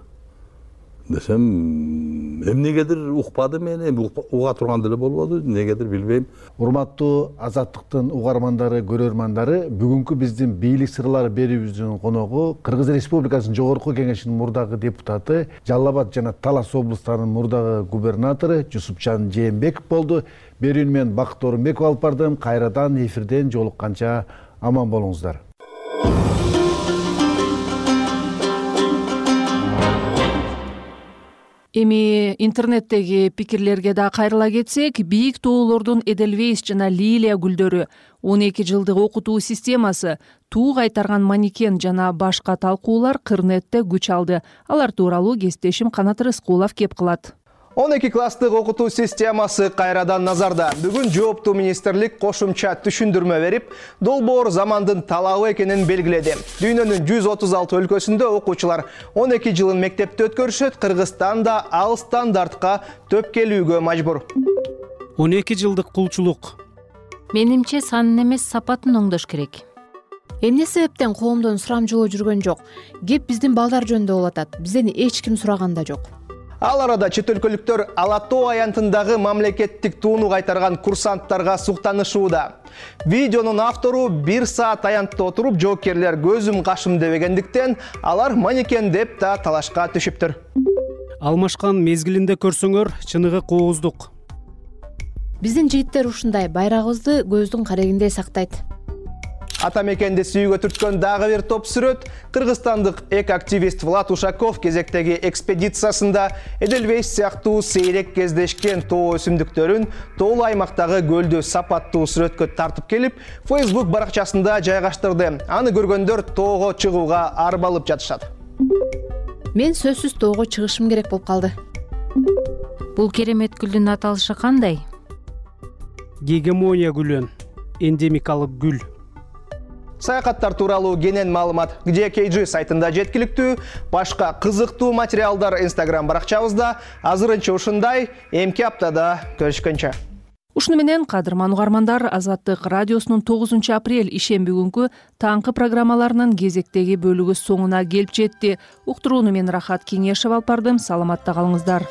Speaker 15: Десем, эмнегедир укпады мен, эми уга турган деле болбоду, эмнегедир билбейм.
Speaker 14: Урматтуу Азаттыктын угармандары, көрөрмандары, бүгүнкү биздин бийлик сырлары берүүбүздүн коногу Кыргыз Республикасынын Жогорку Кеңешинин мурдагы депутаты, Жалал Абад жана Талас облустарынын мурдагы губернатору Жусупжан Жээнбеков болду. Берүүнү мен Бакыт Орунбеков алып бардым. Кайрадан эфирден жолукканча аман болуңуздар.
Speaker 2: Эми интернеттеги пикирлерге да кайрыла кетсек, бийик тоолордун Эдельвейс жана Лилия гүлдөрү, он эки жылдык окутуу системасы, туу кайтарган манекен жана башка талкуулар Кырнетте күч алды. Алар тууралуу кесиптешим Канат Рыскулов кеп кылат.
Speaker 16: он эки класстык окутуу системасы кайрадан назарда. Бүгүн жооптуу министрлик кошумча түшүндүрмө берип, долбоор замандын талабы экенин белгиледи. Дүйнөнүн жүз отуз алты өлкөсүндө окуучулар он эки жылын мектепте өткөрүшөт, Кыргызстан да ал стандартка төпкелүүгө мажбур.
Speaker 17: он эки жылдык кулчулук.
Speaker 18: Менимче санын эмес, сапатын оңдош керек.
Speaker 6: эмне себептен коомдон сурамжылоо жүргөн жок? Кеп биздин балдар жөнүндө болуп атат. Бизден эч ким сураган да жок.
Speaker 16: Ал арада чет өлкөлүктөр Ала Тоо аянтындагы мамлекеттик тууну кайтарган курсанттарга суктанышууда. Видеонун автору бир саат аянтта отуруп, жоокерлер көзүм кашым дебегендиктен алар манекен деп да талашка түшүптүр.
Speaker 3: Алмашкан мезгилинде көрсөңөр, чыныгы кооздук.
Speaker 6: Биздин жигиттер ушундай байрагыбызды көздүн карегиндей сактайт.
Speaker 16: Ата мекенди сүйүүгө түрткөн дагы бир топ сүрөт кыргызстандык эко-активист Влад Ушаков кезектеги экспедициясында Эдельвейс сыяктуу сейрек кездешкен тоо өсүмдүктөрүн тоолуу аймактагы көлдү сапаттуу сүрөткө тартып келип, Facebook баракчасында жайгаштырды. Аны көргөндөр тоого чыгууга арбалып жатышат.
Speaker 6: Мен сөзсүз тоого чыгышым керек болуп калды.
Speaker 17: Бул керемет гүлдүн аталышы кандай?
Speaker 3: Гегемония гүлү, эндемикалык гүл.
Speaker 16: Саякаттар тууралуу кенен маалымат Где кей джи сайтында жеткиликтүү. Башка кызыктуу материалдар Instagram баракчабызда. Азырынча ушундай, эмки аптада көрүшкөнчө.
Speaker 2: Ушуну менен кадырман угармандар, Азаттык радиосунун тогузунчу апрель ишемби күнкү таңкы программаларынын кезектеги бөлүгү соңуна келип жетти. Уктурууну мен Рахат Кеңешев алып бардым. Саламатта калыңыздар.